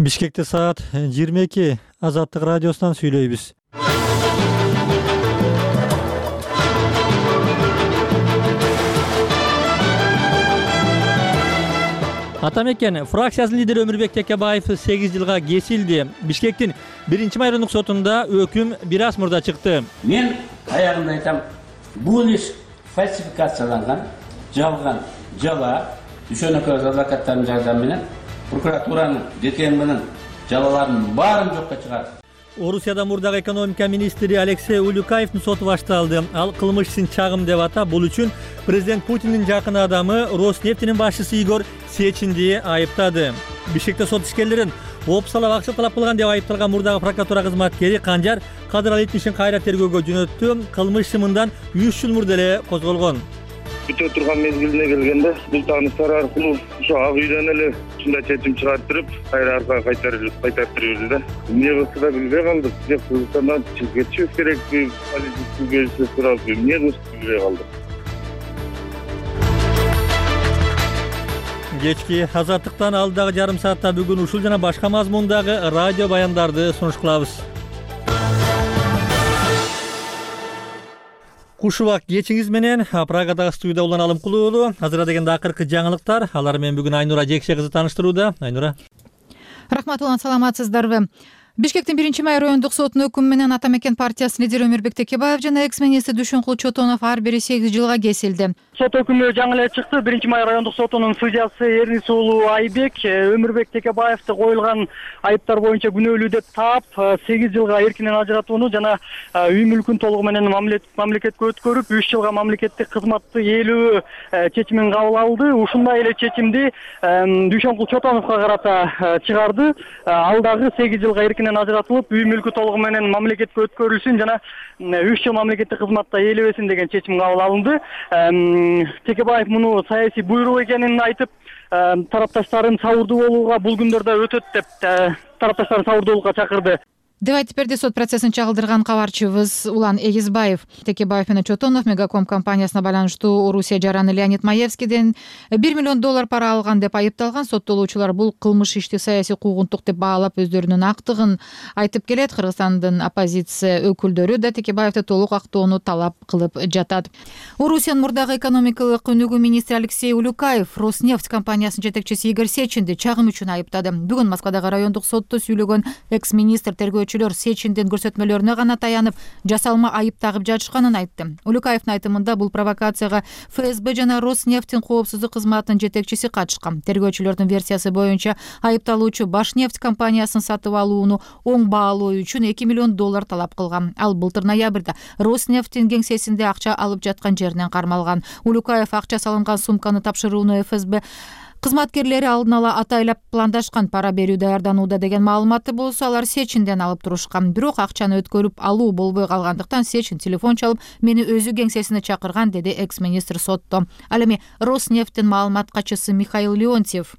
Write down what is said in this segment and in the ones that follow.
Бишкекте саат 22. Азаттык радиосунан сүйлөйбүз. Атамекен фракциясынын лидери Өмүрбек Текебаев 8 жылга кесилди. Бишкектин 1-майрындык сотунда өкүм бир аз мурда чыкты. Мен аягында айтам, бул иш фальсификацияланган, жалган, жала, Дүйшөнөкөз адвокаттардын жардамы менен прокуратуранын жеткен менен жалаларын баарын жокко чыгарды. Орусияда мурдагы экономика министри Алексей Улюкаевдин соту башталды. Ал кылмыш ишин чагым деп атап, бул үчүн президент Путиндин жакын адамы Роснефтинин башчысы Игорь Сечинди айыптады. Бишкекте сот ишкерлерин опсалап акча талап кылган деп айыпталган мурдагы прокуратура кызматкери Канжар Кадыралы ишин кайра тергөөгө жөнөттү. Кылмыш мындан 3 жыл мурда эле козголгон. Бүтө турган мезгилине келгенде бул тааныштар аркылуу ошо ак үйдөн эле ушундай чечим чыгарттырып, кайра аркага кайтарып берди да. Эмне кылса да билбей калдык. Же Кыргызстандан кетишибиз керекпи, политический көзсүз сурап, эмне кылышты билбей калдык. Кечки азаттыктан алдагы жарым саатта бүгүн ушул жана башка мазмундагы радио баяндарды сунуш кылабыз. Кушубак кечиңиз менен Прагадагы студияда Улан Алымкулуу. Азыр дегенде акыркы жаңылыктар. Алар менен бүгүн Айнура Жекше кызы тааныштырууда. Айнура. Рахмат Улан, саламатсыздарбы? Бишкектин 1-май райондук сотунун өкүмү менен Атамекен партиясынын лидери Өмүрбек Текебаев жана экс-министр Дүйшөнкул Чотонов ар бири 8 жылга кесилди. Сот өкүмү жаңы эле чыкты. 1-май райондук сотунун судьясы Эрнис уулу Айбек Өмүрбек Текебаевди коюлган айыптар боюнча күнөөлүү деп таап 8 жылга эркинен ажыратууну жана үй мүлкүн толугу менен мамлекетке өткөрүп 3 жылга мамлекеттик кызматты ээлөө чечимин кабыл алды. Ушундай эле чечимди Дүйшөнкул Чотоновго карата чыгарды. Ал дагы 8 жылга эркинен ажыратылып, үй мүлкү толугу менен мамлекетке өткөрүлсүн жана 3 жыл мамлекеттик кызматта ээлебесин деген чечим кабыл алынды. Текебаев муну саясий буйрук экенин айтып, тарапташтарын сабырдуу болууга, бул күндөрдө өтөт деп тарапташтарын сабырдуулукка чакырды деп айтып берди сот процессин чагылдырган кабарчыбыз Улан Эгизбаев. Текебаев менен Чотонов Мегаком компаниясына байланыштуу Орусия жараны Леонид Маевскийден $1 миллион пара алган деп айыпталган. Соттолуучулар бул кылмыш ишти саясий куугунтук деп баалап өздөрүнүн актыгын айтып келет. Кыргызстандын оппозиция өкүлдөрү да Текебаевди толук актоону талап кылып жатат. Орусиянын мурдагы экономикалык өнүгүү министри Алексей Улюкаев Роснефть компаниясынын жетекчиси Игорь Сечинди чагым үчүн айыптады. Бүгүн Москвадагы райондук сотто сүйлөгөн экс-министр тергөөчүлөр Сечиндин көрсөтмөлөрүнө гана таянып, жасалма айып тагып жатышканын айтты. Улюкаевдин айтымында бул провокацияга ФСБ жана Роснефтьтин коопсуздук кызматынын жетекчиси катышкан. Тергөөчүлөрдүн версиясы боюнча айыпталуучу Башнефть компаниясын сатып алууну оң баалоо үчүн $2 миллион талап кылган. Ал былтыр ноябрда Роснефтьтин кеңсесинде акча алып жаткан жеринен кармалган. Улюкаев акча салынган сумканы тапшырууну ФСБ кызматкерлери алдын ала атайлап пландашкан, пара берүү даярданууда деген маалыматты болсо алар Сечинден алып турушкан. Бирок акчаны өткөрүп алуу болбой калгандыктан Сечин телефон чалып, мени өзү кеңсесине чакырган, деди экс-министр сотто. Ал эми Роснефтьтин маалымат катчысы Михаил Леонтьев.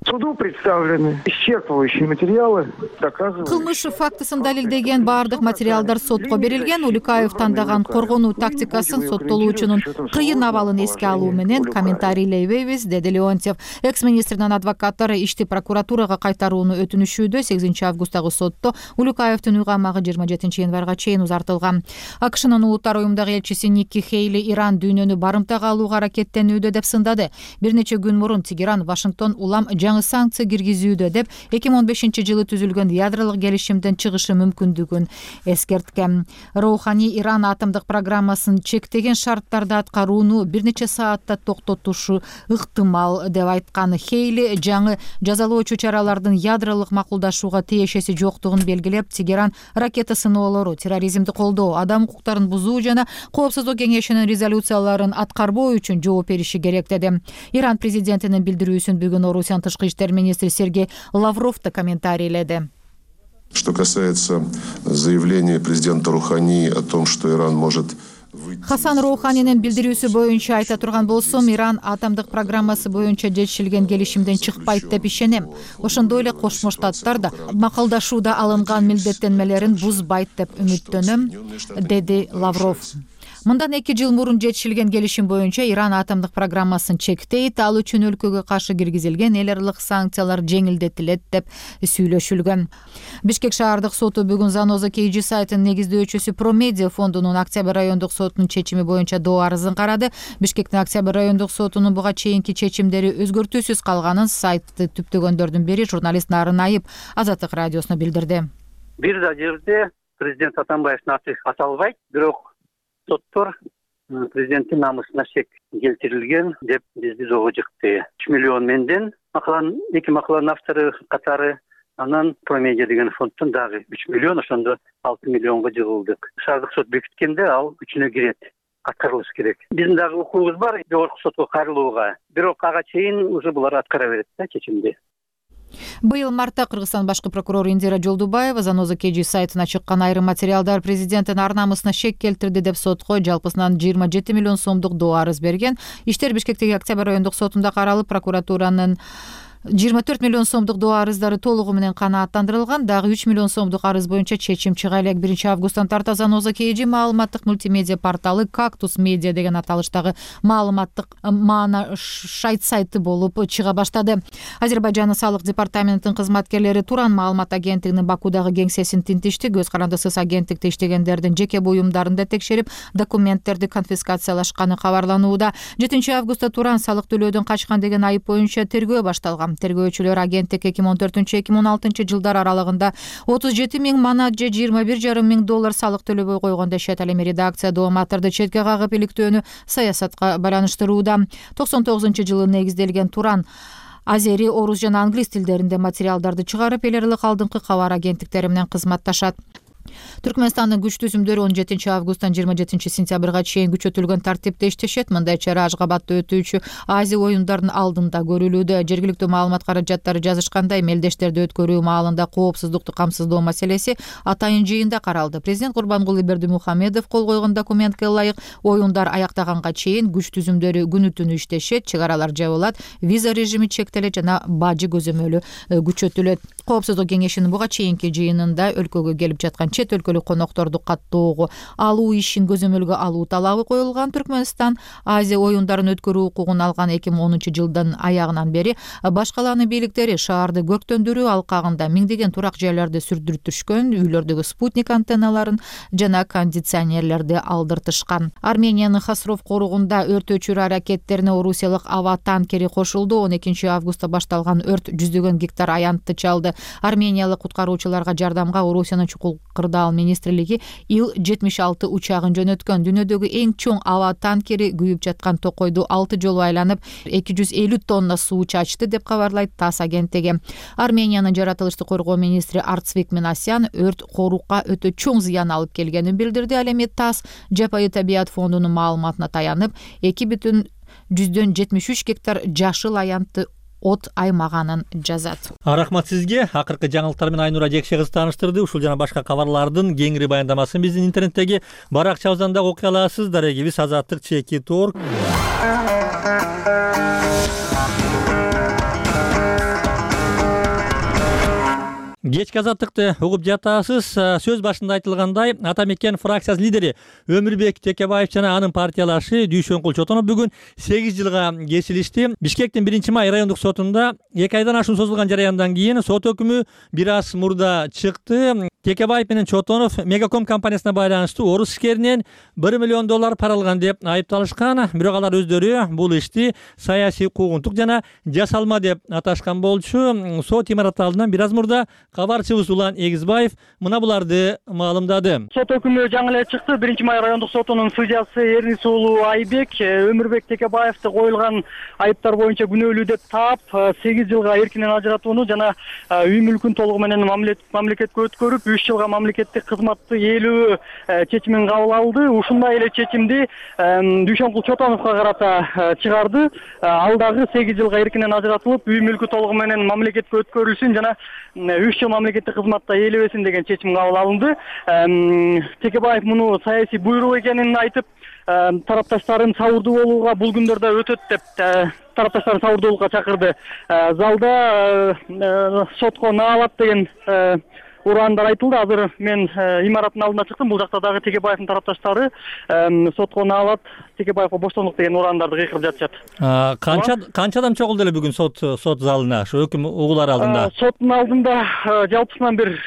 Суду представлены исчерпывающие материалы, доказывающие. Кылмыш фактысын далилдеген баардык материалдар сотко берилген. Улюкаев тандаган коргонуу тактикасын, соттолуучунун кыйын абалын эске алуу менен комментарийлейбейбиз, деди Леонтьев. Экс-министрдин адвокаттары ишти прокуратурага кайтарууну өтүнүшүүдө. 8 августтагы сотто Улюкаевдин үй камагы 27 январга чейин узартылган. AQShnын улуттар уюмундагы элчиси Никки Хейли Иран дүйнөнү барымтага алууга аракеттенүүдө деп сындады. Бир нече күн мурун Тегеран Вашингтон улам жаңы санкция киргизүүдө деп 2015-жылы түзүлгөн ядролук келишимден чыгышы мүмкүндүгүн эскерткен. Роухани Иран атомдук программасын чектеген шарттарда аткарууну бир нече саатта токтотушу ыктымал деп айткан. Хейли жаңы жазалоочу чаралардын ядролук макулдашууга тиешеси жоктугун белгилеп, Тегеран ракета сыноолору, терроризмди колдоо, адам укуктарын бузуу жана Коопсуздук кеңешинин резолюцияларын аткарбоо үчүн жооп бериши керек деди. Иран президентинин билдирүүсүн бүгүн Орусиянын тышкы иштер министри Сергей Лавров да комментарийледи. Что касается заявления президента Рухани о том, что Иран может Хасан Роуханинин билдирүүсү боюнча айта турган болсом, Иран атомдук программасы боюнча жетишилген келишимден чыкпайт деп ишенем. Ошондой эле Кошмо Штаттар да макулдашууда алынган милдеттенмелерин бузбайт деп үмүттөнөм, деди Лавров. Мындан 2 жыл мурун жетишилген келишим боюнча Иран атомдук программасын чектейт, ал үчүн өлкөгө каршы киргизилген эл аралык санкциялар жеңилдетилет деп сүйлөшүлгөн. Бишкек шаардык соту бүгүн Заноза KG сайтынын негиздөөчүсү Промедиа фондунун Октябрь райондук сотунун чечими боюнча доо арызын карады. Бишкектин Октябрь райондук сотунун буга чейинки чечимдери өзгөртүүсүз калганын сайтты түптөгөндөрдүн бири журналист Нарын Айып Азаттык радиосуна билдирди. Бир да жерде президент Атамбаевдин аты аталбайт, бирок соттор президенттин намысына шек келтирилген деп бизди зого жыкты. 3 миллион менден эки макаланын автору катары, анан Промедиа деген фонддон дагы 3 миллион, ошондо 6 миллионго жыгылдык. Шаардык сот бекиткенде ал үчүнө кирет. Аткарылыш керек. Биздин дагы укугубуз бар жогорку сотко кайрылууга. Бирок ага чейин уже булар аткара берет да чечимди. Быйыл мартта Кыргызстан башкы прокурору Индира Жолдубаева Заноза KG сайтына чыккан айрым материалдар президенттин ар намысына шек келтирди деп сотко жалпысынан 27 миллион сомдук доо арыз берген. Иштер Бишкектеги Октябрь райондук сотунда каралып, прокуратуранын 24 миллион сомдук доо арыздары толугу менен канааттандырылган. Дагы 3 миллион сомдук арыз боюнча чечим чыга элек. 1 августтан тарта Заноза KG маалыматтык мультимедиа порталы Кактус Медиа деген аталыштагы маалыматтык сайт сайты болуп чыга баштады. Азербайжандын салык департаментинин кызматкерлери Туран маалымат агенттигинин Бакудагы кеңсесин тинтишти. Көз карандысыз агенттикте иштегендердин жеке буюмдарын да текшерип, документтерди конфискациялашканы кабарланууда. 7 августта Туран салык төлөөдөн качкан деген айып боюнча тергөө башталган. Тергөөчүлөр агенттик 2014-2016 жылдар аралыгында 37 миң манат же $21,5 миң салык төлөбөй койгон дешет. Ал эми редакция дооматтарды четке кагып иликтөөнү саясатка байланыштырууда. 99-жылы негизделген Туран азери, орус жана англис тилдеринде материалдарды чыгарып, эл аралык алдыңкы кабар агенттиктери менен кызматташат. Түркмөнстандын күч түзүмдөрү 17 августтан 27 сентябрга чейин күчөтүлгөн тартипте иштешет. Мындай чара Ашгабадда өтүүчү Азия оюндарынын алдында көрүлүүдө. Жергиликтүү маалымат каражаттары жазышкандай, мелдештерди өткөрүү маалында коопсуздукту камсыздоо маселеси атайын жыйында каралды. Президент Курбангулы Бердимухамедов кол койгон документке ылайык оюндар аяктаганга чейин күч түзүмдөрү күнү-түнү иштешет, чыгаралар жабылат, виза режими чектелет жана бажы көзөмөлү күчөтүлөт. Коопсуздук кеңешинин буга чейинки жыйынында өлкөгө келип жаткан чет өлкөлүк конокторду каттоого алуу ишин көзөмөлгө алуу талабы коюлган. Түркмөнстан Азия оюндарын өткөрүү укугун алган 2010 жылдын аягынан бери башкаланын бийликтери шаарды көктөндүрүү алкагында миңдеген турак жайларды сүрдүртүшкөн, үйлөрдөгү спутник антенналарын жана кондиционерлерди алдыртышкан. Армениянын Хасров коругунда өрт өчүрүү аракеттерине орусиялык ава танкери кошулду. 12 августта башталган өрт жүздөгөн гектар аянтты чалды. Армениялык куткаруучуларга жардамга Орусиянын чукул кырдаал министрлиги Ил-76 учагын жөнөткөн. Дүйнөдөгү эң чоң ава танкери күйүп жаткан токойду 6 жолу айланып 250 тонна суу чачты деп кабарлайт ТАСС агенттиги. Армениянын жаратылышты коргоо министри Арцвик Минасян өрт корукка өтө чоң зыян алып келгенин билдирди. Ал эми ТАСС Жапайы табият фондунун маалыматына таянып 2,73 гектар жашыл аянтты от аймаганын жазат. Рахмат сизге. Акыркы жаңылыктар менен Айнура Жекше кыз тааныштырды. Ушул жана башка кабарлардын кеңири баяндамасын биздин интернеттеги баракчабыздан да окуй аласыз. Дарегибиз Азаттык @org. Кечки Азаттыкты угуп жатасыз. Сөз башында айтылгандай, Ата мекен фракциясынын лидери Өмүрбек Текебаев жана анын партиялашы Дүйшөнкул Чотонов бүгүн 8 жылга кесилишти. Бишкектин 1-май райондук сотунда 2 айдан ашуун созулган жараяндан кийин сот өкүмү бир аз мурда чыкты. Текебаев менен Чотонов Мегаком компаниясына байланыштуу орус ишкеринен $1 миллион пара алган деп айыпталышкан. Бирок алар өздөрү бул ишти саясий куугунтук жана жасалма деп аташкан болчу. Сот имараты алдынан бир аз мурда кабарчыбыз Улан Эгизбаев мына буларды маалымдады. Сот өкүмү жаңы эле чыкты. 1-май райондук сотунун судьясы Эрнис уулу Айбек Өмүрбек Текебаевди коюлган айыптар боюнча күнөөлүү деп таап 8 жылга эркинен ажыратууну жана үй мүлкүн толугу менен мамлекетке өткөрүп 3 жылга мамлекеттик кызматты ээлөө чечимин кабыл алды. Ушундай эле чечимди Дүйшөнкул Чотоновго карата чыгарды. Ал дагы 8 жылга эркинен ажыратылып, үй мүлкү толугу менен мамлекетке өткөрүлсүн жана 3 жыл мамлекеттик кызматта ээлебесин деген чечим кабыл алынды. Текебаев муну саясий буйрук экенин айтып, тарапташтарын сабырдуу болууга бул күндөрдө өтөт деп тарапташтарын сабырдуулукка чакырды. Залда сотко наалат деген ураандар айтылды. Азыр мен имараттын алдына чыктым. Бул жакта дагы Текебаевдин тарапташтары сотко наалат Текебаевге боштондук деген урандарды кыйкырып жатышат. Канча адам чогулду эле бүгүн сот залына, ошо өкүм угулар алдында? Соттун алдында жалпысынан бир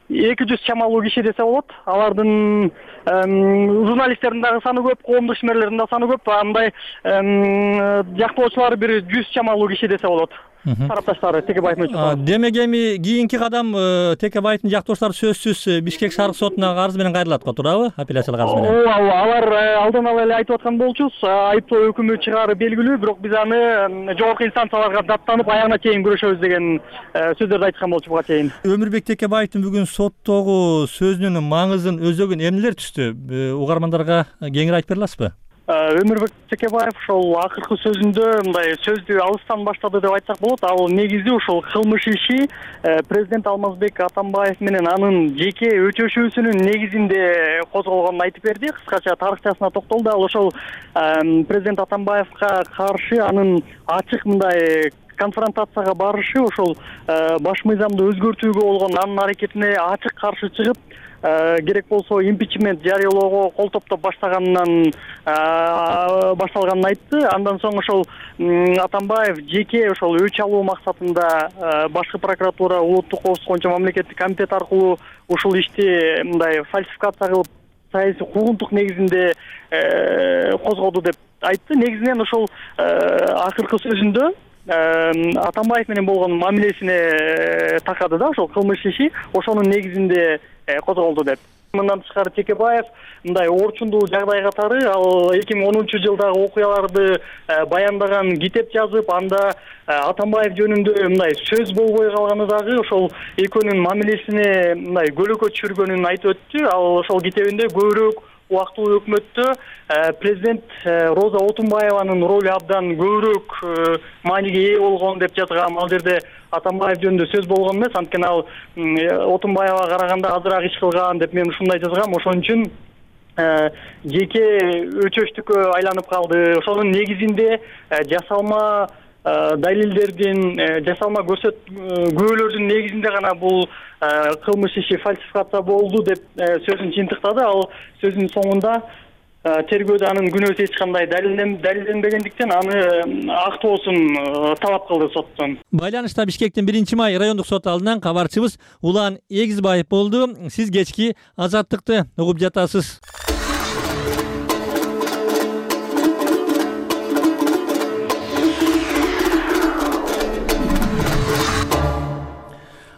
200 чамалуу киши десе болот. Алардын журналисттердин дагы саны көп, коомдук ишмерлердин да саны көп. Андай жактоочулар бир 100 чамалуу киши десе болот. Тарапташтары Текебаев менен. Демек эми кийинки кадам Текебаевдин жактоочулары сөзсүз Бишкек шаардык сотуна арыз менен кайрылат го, туурабы? Апелляциялык арыз менен. Ооба, алар алдан ала эле айтып аткан болчубуз. Айыптоо өкүмү чыгаары белгилүү, бирок биз аны жогорку инстанцияларга даттанып аягына чейин күрөшөбүз деген сөздөрдү айткан болчу буга чейин. Өмүрбек Текебаевдин бүгүн соттогу сөзүнүн маңызын өзөгүн эмнелер түстү? Угармандарга кеңири айтып бере аласызбы? Өмүрбек Текебаев ошол акыркы сөзүндө мындай сөздү алыстан баштады деп айтсак болот. Ал негизи ошол кылмыш иши президент Алмазбек Атамбаев менен анын жеке өчөшүүсүнүн негизинде козголгонун айтып берди. Кыскача тарыхчасына токтолду. Ал ошол президент Атамбаевга каршы анын ачык мындай конфронтацияга барышы, ошол баш мыйзамды өзгөртүүгө болгон анын аракетине ачык каршы чыгып, керек болсо импичмент жарыялоого кол топтоп башталганын айтты. Андан соң ошол Атамбаев жеке ошол өч алуу максатында башкы прокуратура, улуттук коопсуздук боюнча мамлекеттик комитет аркылуу ушул ишти мындай фальсификация кылып саясий куугунтук негизинде козгоду деп айтты. Негизинен ошол акыркы сөзүндө Атамбаев менен болгон мамилесине такады да, ошол кылмыш иши ошонун негизинде козголду деп. Мындан тышкары Текебаев мындай орчундуу жагдай катары ал 2010-жылдагы окуяларды баяндаган китеп жазып, анда Атамбаев жөнүндө мындай сөз болбой калганы дагы ошол экөөнүн мамилесине мындай көлөкө түшүргөнүн айтып өттү. Ал ошол китебинде көбүрөөк убактылуу өкмөттө президент Роза Отунбаеванын ролу абдан көбүрөөк мааниге ээ болгон деп жазган. Ал жерде Атамбаев жөнүндө сөз болгон эмес, анткени ал Отунбаевага караганда азыраак иш кылган деп мен ушундай жазгам. Ошон үчүн жеке өчөштүккө айланып калды. Ошонун негизинде жасалма далилдердин, жасалма күбөлөрдүн негизинде гана бул кылмыш иши фальсификация болду деп сөзүн жыйынтыктады. Ал сөзүнүн соңунда тергөөдө анын күнөөсү эч кандай далилденбегендиктен аны актоосун талап кылды соттон. Байланышта Бишкектин 1-май райондук сот алдынан кабарчыбыз Улан Эгизбаев болду. Сиз кечки Азаттыкты угуп жатасыз.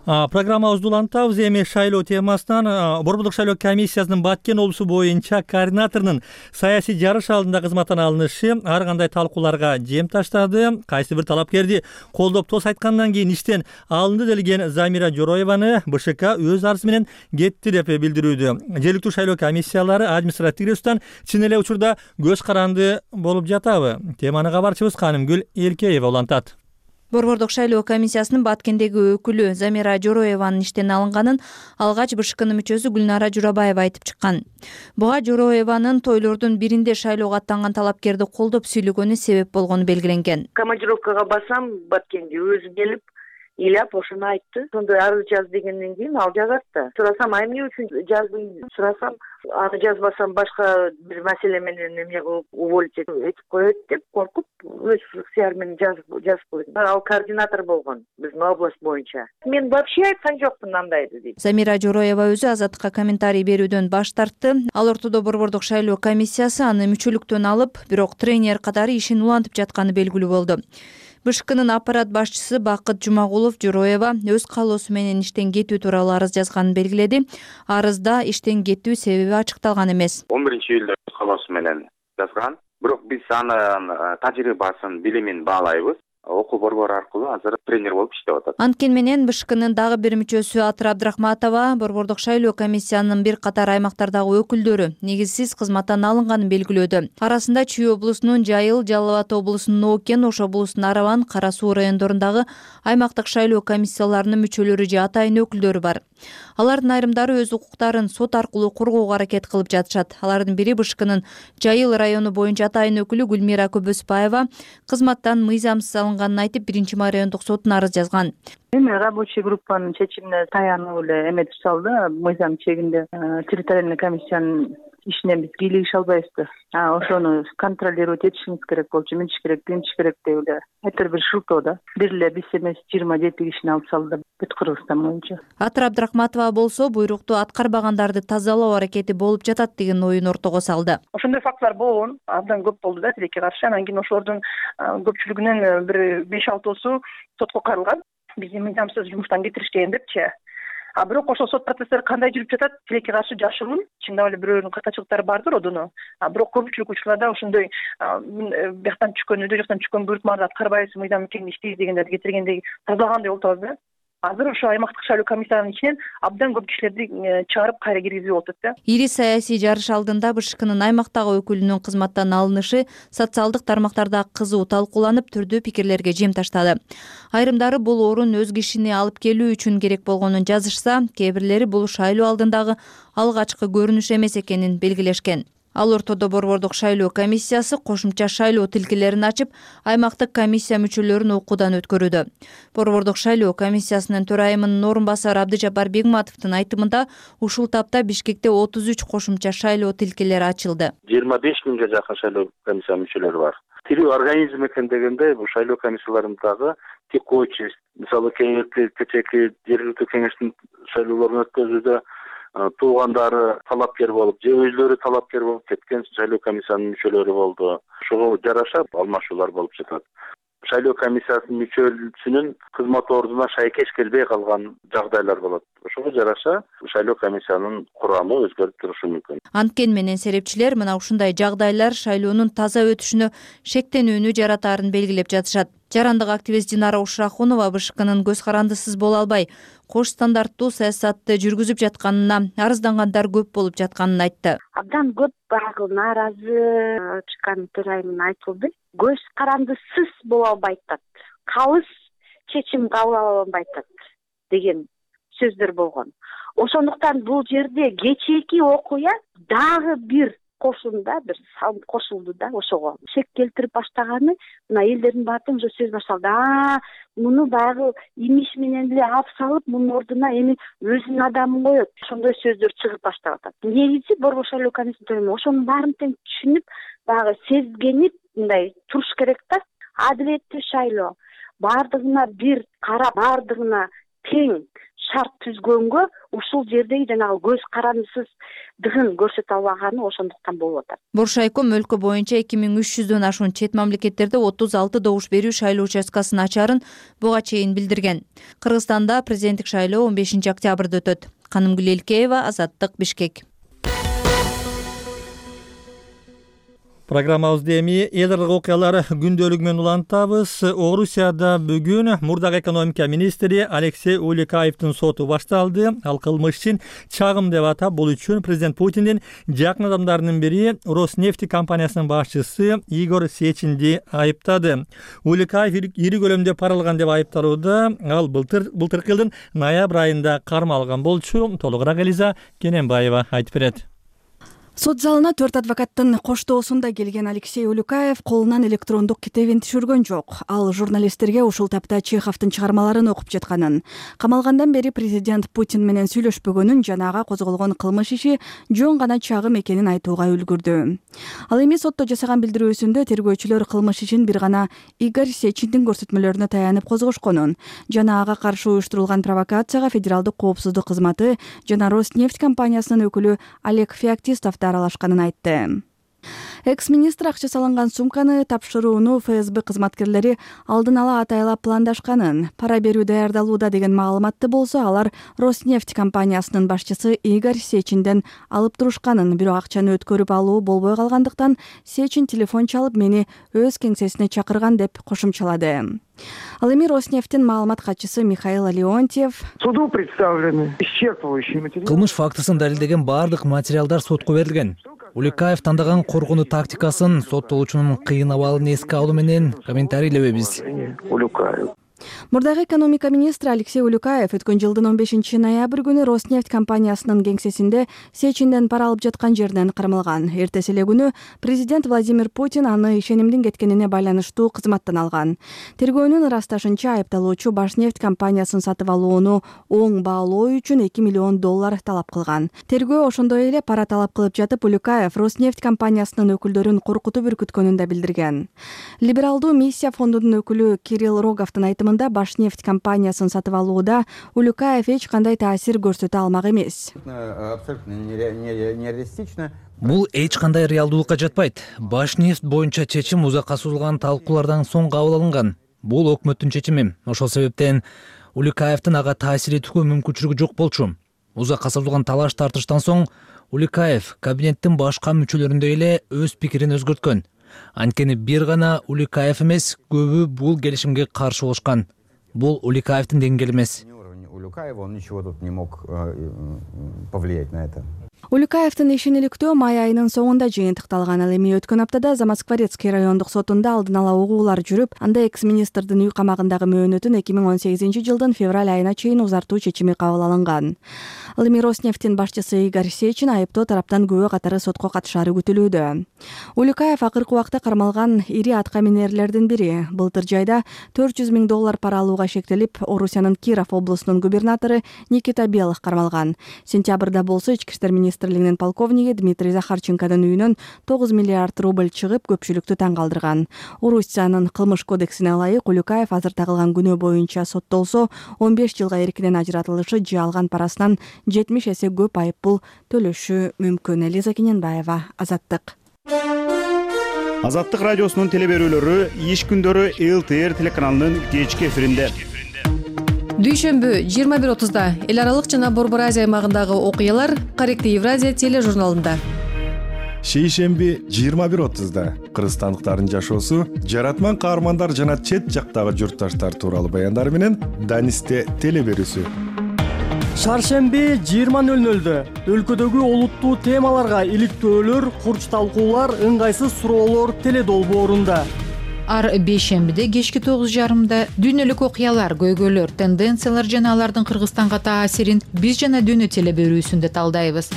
Программабызды улантабыз. Эми шайлоо темасынан Борбордук шайлоо комиссиясынын Баткен облусу боюнча координаторунун саясий жарыш алдында кызматтан алынышы ар кандай талкууларга жем таштады. Кайсы бир талапкерди колдоп тос айткандан кийин иштен алынды делген Замира Жороеваны БШК өз арызы менен кетти деп билдирүүдө. Жергиликтүү шайлоо комиссиялары административдик ресурстан чын эле учурда көз каранды болуп жатабы? Теманы кабарчыбыз Канымгүл Элкеева улантат. Борбордук шайлоо комиссиясынын Баткендеги өкүлү Замира Жороеванын иштен алынганын алгач БШКнын мүчөсү Гүлнара Журабаева айтып чыккан. Буга Жороеванын тойлордун биринде шайлоого аттанган талапкерди колдоп сүйлөгөнү себеп болгону белгиленген. Командировкага басам, Баткенге өзү келип ыйлап ошону айтты. Сонда арыз жаз дегенден кийин ал жазат да. Сурасам, эмне үчүн жаздың? Сурасам, аны жазбасам башка бир маселе менен эмне кылып уволить этип коет деп коркуп, өз ыксыяр менен жазып койдум. Ал координатор болгон биздин область боюнча. Мен вообще айткан жокмун андайды дейт. Замира Жороева өзү Азаттыкка комментарий берүүдөн баш тартты. Ал ортодо Борбордук шайлоо комиссиясы аны мүчөлүктөн алып, бирок тренер катары ишин улантып жатканы белгилүү болду. БШКнын аппарат башчысы Бакыт Жумагулов Жороева өз каалоосу менен иштен кетүү тууралуу арыз жазганын белгиледи. Арызда иштен кетүү себеби ачыкталган эмес. 11-июлда өз каалоосу менен жазган. Бирок биз анын тажрыйбасын, билимин баалайбыз. Окуу борбору аркылуу азыр тренер болуп иштеп атат. Анткени менен БШКнын дагы бир мүчөсү Атыр Абдрахматова Борбордук шайлоо комиссиянын бир катар аймактардагы өкүлдөрү негизсиз кызматтан алынганын белгилөөдө. Арасында Чүй облусунун Жайыл, Жалал Абад облусунун Оокен, Ош облусунун Араван, Кара Суу райондорундагы аймактык шайлоо комиссияларынын мүчөлөрү же атайын өкүлдөрү бар. Алардын айрымдары өз укуктарын сот аркылуу коргоого аракет кылып жатышат. Алардын бири БШКнын Жайыл району боюнча атайын өкүлү Гүлмира Көбөспаева кызматтан мыйзамсыз алынганын айтып, 1-май райондук сотуна арыз жазган. Эми рабочий группанын чечимине таянып эле эме түзүп мыйзам чегинде территориальный комиссиянын ишине биз кийлигише албайбызбы. Ошону контролировать этишибиз керек болчу, мынтиш керек, тинтиш керек деп эле айтыр бир шылтоо да. Бир эле биз эмес 27 кишини алып салды бүт Кыргызстан боюнча. Атыр Абдрахматова болсо буйрукту аткарбагандарды тазалоо аракети болуп жатат деген оюн ортого салды. Ошондой фактылар болгон, абдан көп болду да тилекке каршы. Анан кийин ошолордун көпчүлүгүнүн бир 5-6 сотко каралган. Бизди мыйзамсыз жумуштан кетиришкен депчи. Бирок ошол сот процесстери кандай жүрүп жатат, тилекке каршы жашыруун. Чындап эле бирөөнүн катачылыктары бардыр одуну. Бирок көпчүлүк учурларда ошондой бияктан түшкөн, өйдө жактан түшкөн буйрутмаларды аткарбайбыз, мыйзам мекенин иштейбиз дегендерди кетиргендей тазалагандай болуп атабыз да. Азыр ошо аймактык шайлоо комиссиянын ичинен абдан көп кишилерди чыгарып кайра киргизип атат да. Ири саясий жарыш алдында БШКнын аймактагы өкүлүнүн кызматтан алынышы социалдык тармактарда кызуу талкууланып, түрдүү пикирлерге жем таштады. Айрымдары бул орун өз кишини алып келүү үчүн керек болгонун жазышса, кээ бирлери бул шайлоо алдындагы алгачкы көрүнүш эмес экенин белгилешкен. Ал ортодо Борбордук шайлоо комиссиясы кошумча шайлоо тилкелерин ачып, аймактык комиссия мүчөлөрүн окуудан өткөрүүдө. Борбордук шайлоо комиссиясынын төрайымынын орун басары Абдыжапар Бегматовдун айтымында, ушул тапта Бишкекте 33 кошумча шайлоо тилкелери ачылды. 25 миңге жакын шайлоо комиссия мүчөлөрү бар. Тирүү организм экен дегенде, бул шайлоо комиссияларындагы текучий, мисалы кечээки жергиликтүү кеңештин шайлоолорун өткөзүүдө туугандары талапкер болуп, же өзлөрү талапкер болуп кеткен шайлоо комиссиянын мүчөлөрү болду. Ошого жараша алмашуулар болуп жатат. Шайлоо комиссиясынын мүчөсүнүн кызмат ордуна шайкеш келбей калган жагдайлар болот. Ошого жараша шайлоо комиссиянын курамы өзгөрүп турушу мүмкүн. Анткен менен серепчилер мына ушундай жагдайлар шайлоонун таза өтүшүнө шектенүүнү жаратаарын белгилеп жатышат. Жарандык активист Динара Ушрахунова БШКнын көз карандысыз боло албай, кош стандарттуу саясатты жүргүзүп жатканына, арыздангандар көп болуп жатканын айтты. Абдан көп багы нааразы чыккан төрайымын айтылды. Көз карандысыз боло албай атат. Калыс чечим кабыл ала албай атат деген сөздөр болгон. Ошондуктан бул жерде кечээки окуя дагы бир кошумда бир салып кошулду да ошого. Шек келтирип баштаганы мына элдердин баардыгы ошо сөз башталды. Муну баягы имиш менен эле алып салып, мунун ордуна эми өзүнүн адамын коет. Ошондой сөздөр чыгып баштап атат. Негизи Борбор шайлоо комиссиясы ошонун баарын тең түшүнүп, баягы сезгенип мындай туруш керек да. Адилеттүү шайлоо баардыгына бир карап, баардыгына тең шарт түзгөнгө ушул жердеги жанагы көз карандысыздыгын көрсөтө албаганы ошондуктан болуп атат. Боршайком өлкө боюнча 2300дөн ашуун чет мамлекеттерде 36 добуш берүү шайлоо участкасын ачарын буга чейин билдирген. Кыргызстанда президенттик шайлоо 15 октябрда өтөт. Канымгүл Элкеева, Азаттык, Бишкек. Программабызды эми элдик окуялар күндөлүгү менен улантабыз. Орусияда бүгүн мурдагы экономика министри Алексей Улюкаевдин соту башталды. Ал кылмыш үчүн чагым деп атап, бул үчүн президент Путиндин жакын адамдарынын бири Роснефть компаниясынын башчысы Игорь Сечинди айыптады. Улюкаев ири көлөмдө пара алган деп айыпталууда. Ал былтыркы жылдын ноябрь айында кармалган болчу. Толугураак Элиза Кененбаева айтып берет. Сот залына 4 адвокаттын коштоосунда келген Алексей Улюкаев колунан электрондук китебин түшүргөн жок. Ал журналисттерге ушул тапта Чеховдун чыгармаларын окуп жатканын, камалгандан бери президент Путин менен сүйлөшпөгөнүн жана ага козголгон кылмыш иши жөн гана чагым экенин айтууга үлгүрдү. Ал эми сотто жасаган билдирүүсүндө тергөөчүлөр кылмыш ишин бир гана Игорь Сечиндин көрсөтмөлөрүнө таянып козгошконун жана ага каршы уюштурулган провокацияга федералдык коопсуздук кызматы жана Роснефть компаниясынын өкүлү Олег Феоктистов аралашканын айтты. Экс-министр акча салынган сумканы тапшырууну ФСБ кызматкерлери алдын ала атайлап пландашканын, пара берүү даярдалууда деген маалыматты болсо, алар Роснефть компаниясынын башчысы Игорь Сечинден алып турушканын, бирок акчаны өткөрүп алуу болбой калгандыктан Сечин телефон чалып мени өз кеңсесине чакырган деп кошумчалады. Ал эми Роснефтьтин маалымат катчысы Михаил Леонтьев суду представлены исчерпывающие материалы. Кылмыш фактысын далилдеген бардык материалдар сотко берилген. Улюкаев тандаган коргонуу тактикасын, соттолуучунун кыйын абалын эске алуу менен комментарийлебейбиз. Мурдагы экономика министри Алексей Улюкаев өткөн жылдын 15 ноябрь күнү Роснефть компаниясынын кеңсесинде Сечинден пара алып жаткан жеринен кармалган. Эртеси эле күнү президент Владимир Путин аны ишенимдин кеткенине байланыштуу кызматтан алган. Тергөөнүн ырасташынча айыпталуучу Башнефть компаниясын сатып алууну оң баалоо үчүн $2 миллион талап кылган. Тергөө ошондой эле пара талап кылып жатып, Улюкаев Роснефть компаниясынын өкүлдөрүн коркутуп үркүткөнүн да билдирген. Либералдуу миссия фондунун өкүлү Кирилл Роговдун айтымында Башнефть компаниясын сатып алууда Улюкаев эч кандай таасир көрсөтө алмак эмес. Бул эч кандай реалдуулукка жатпайт. Башнефть боюнча чечим узакка созулган талкуулардан соң кабыл алынган. Бул өкмөттүн чечими. Ошол себептен Улюкаевдин ага таасир этүүгө мүмкүнчүлүгү жок болчу. Узакка созулган талаш тартыштан соң Улюкаев кабинеттин башка мүчөлөрүндөй эле өз пикирин өзгөрткөн. Анткени бир гана Улюкаев эмес, көбү бул келишимге каршы болушкан. Бул Улюкаевдин деңгээли эмес. Улюкаев, он ничего тут не мог повлиять на это. Улюкаевдин ишин иликтөө май айынын соңунда жыйынтыкталган. Ал эми өткөн аптада Замоскворецкий райондук сотунда алдын ала угуулар жүрүп, анда экс-министрдин үй камагындагы мөөнөтүн 2018 жылдын февраль айына чейин узартуу чечими кабыл алынган. Ал эми Роснефтьтин башчысы Игорь Сечин айыптоо тараптан күбө катары сотко катышаары күтүлүүдө. Улюкаев акыркы убакта кармалган ири атка минерлердин бири. Былтыр жайда $400 000 пара алууга шектелип, Орусиянын Киров облусунун губернатору Никита Белых кармалган. Сентябрда болсо ички иштер министрлигинин полковниги Дмитрий Захарченконун үйүнөн 9 миллиард рубль чыгып, көпчүлүктү таң калтырган. Орусиянын кылмыш кодексине ылайык Улюкаев азыр тагылган күнөө боюнча соттолсо 15 жылга эркинен ажыратылышы же алган парасынан 70 эсе көп айыппул төлөшү мүмкүн. Элиза Кененбаева, Азаттык. Азаттык радиосунун телеберүүлөрү иш күндөрү ЛТР телеканалынын кечки эфиринде. Дүйшөмбү 21:30-да эл аралык жана Борбор Азия аймагындагы окуялар Корректив Евразия тележурналында. Шейшемби 21:30-да кыргызстандыктардын жашоосу, жаратман каармандар жана чет жактагы журтташтар тууралуу баяндар менен Данисте телеберүүсү. Шаршемби 20:00-дө өлкөдөгү олуттуу темаларга иликтөөлөр, курч талкуулар, ыңгайсыз суроолор теледолбоорунда. Ар бейшембиде кечки 9:30-да дүйнөлүк окуялар, көйгөйлөр, тенденциялар жана алардын Кыргызстанга таасирин биз жана дүйнө телеберүүсүндө талдайбыз.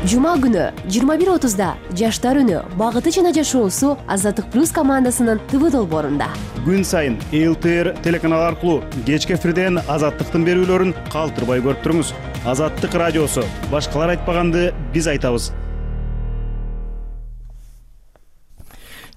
Жума күнү 21:30-да жаштар үнү, багыты жана жашоосу Азаттык плюс командасынын ТВ долбоорунда. Күн сайын ЛТР телеканал аркылуу кечки эфирден Азаттыктын берүүлөрүн калтырбай көрүп туруңуз. Азаттык радиосу. Башкалар айтпаганды биз айтабыз.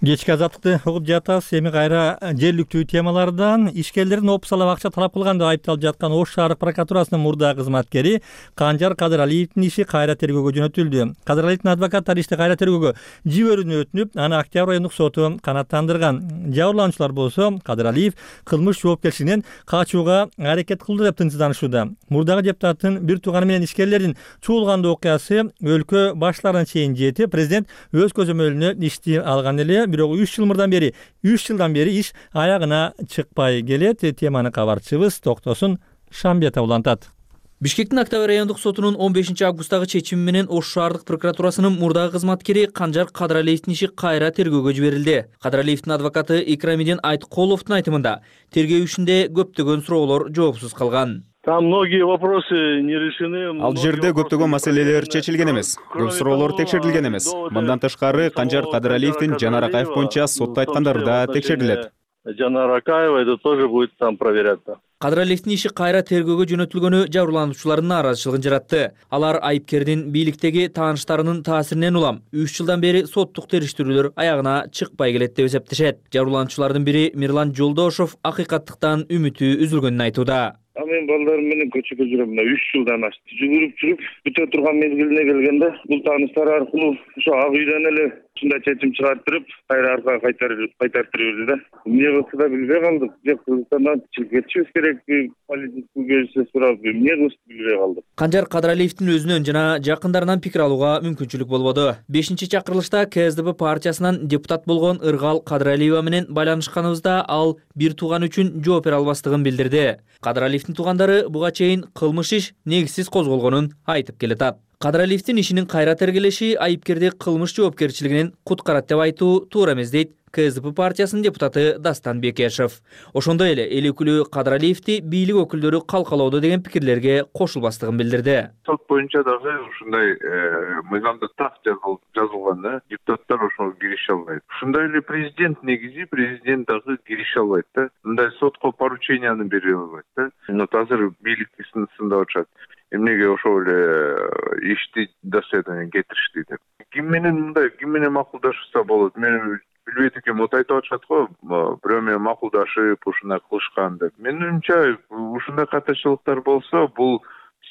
Кечки Азаттыкты угуп жатабыз. Эми кайра жергиликтүү темалардан ишкерлердин опсалап акча талап кылган деп айыпталып жаткан Ош шаардык прокуратурасынын мурдагы кызматкери Канжар Кадыралиевдин иши кайра тергөөгө жөнөтүлдү. Кадыралиевдин адвокаттары ишти кайра тергөөгө жиберүүнү өтүнүп, аны Октябрь райондук соту канааттандырган. Жабырлануучулар болсо Кадыралиев кылмыш жоопкерчилигинен качууга аракет кылды деп тынчсызданышууда. Мурдагы депутаттын бир тууганы менен ишкерлердин чуулгандуу окуясы өлкө баштарына чейин жетип, президент өз көзөмөлүнө ишти алган эле. Бирок 3 жылдан бери иш аягына чыкпай келет. Теманы кабарчыбыз Токтосун Шамбетов улантат. Бишкектин Октябрь райондук сотунун 15 августтагы чечими менен Ош шаардык прокуратурасынын мурдагы кызматкери Канжар Кадыралиевдин иши кайра тергөөгө жиберилди. Кадыралиевдин адвокаты Икрамидин Айткуловдун айтымында тергөө ишинде көптөгөн суроолор жоопсуз калган. Там многие вопросы не решены. Ал жерде көптөгөн маселелер чечилген эмес. Көп суроолор текшерилген эмес. Мындан тышкары Канжар Кадыралиевдин Жанар Акаев боюнча сотто айткандары да текшерилет. Жанар Акаева, это тоже будет там проверяться. Кадыралиевдин иши кайра тергөөгө жөнөтүлгөнү жабырлануучулардын нааразычылыгын жаратты. Алар айыпкердин бийликтеги тааныштарынын таасиринен улам 3 жылдан бери соттук териштирүүлөр аягына чыкпай келет деп эсептешет. Жабырлануучулардын бири Мирлан Жолдошов акыйкаттыктан үмүтү үзүлгөнүн айтууда. Мен балдарым менен көчөгө жүрөм. 3 жылдан ашты. Жүгүрүп бүтө турган мезгилине келгенде бул тааныштар аркылуу ошо ак үйдөн эле ушундай чечим чыгарттырып, кайра аркага кайтартырып да. Эмне кылса да билбей калдык. Же Кыргызстандан чыгып кетишибиз керекпи? Политический көзсүз сурап, эмне кылышты билбей калдык. Канжар Кадыралиевдин өзүнөн жана жакындарынан пикир алууга мүмкүнчүлүк болбоду. 5-чакырылышта КСДП партиясынан депутат болгон Ыргал Кадыралиева менен байланышканыбызда ал бир тууган үчүн жооп бере албастыгын билдирди. Кадыралиевдин туугандары буга чейин кылмыш иш негизсиз козголгонун айтып келатат. Кадыралиевдин ишинин кайра тергелеши айыпкерди кылмыш жоопкерчилигинен куткарат деп айтуу туура эмес дейт КСДП партиясынын депутаты Дастан Бекешев. Ошондой эле эл өкүлү Кадралиевди бийлик өкүлдөрү калкалоодо деген пикирлерге кошулбастыгын билдирди. Сот боюнча дагы ушундай мыйзамда так жазылган, депутаттар ошого кирише албайт. Ушундай эле президент дагы кирише албайт да. Мындай сотко порученияны бере албайт да. Азыр бийлик сындап атышат. Эмнеге ошол эле ишти доследование кетиришти деп. Ким менен макулдашса болот? Мен билбейт экенмин, вот айтып атышат го, бирөө менен макулдашып ушундай кылышкан деп. Менин оюмча ушундай катачылыктар болсо, бул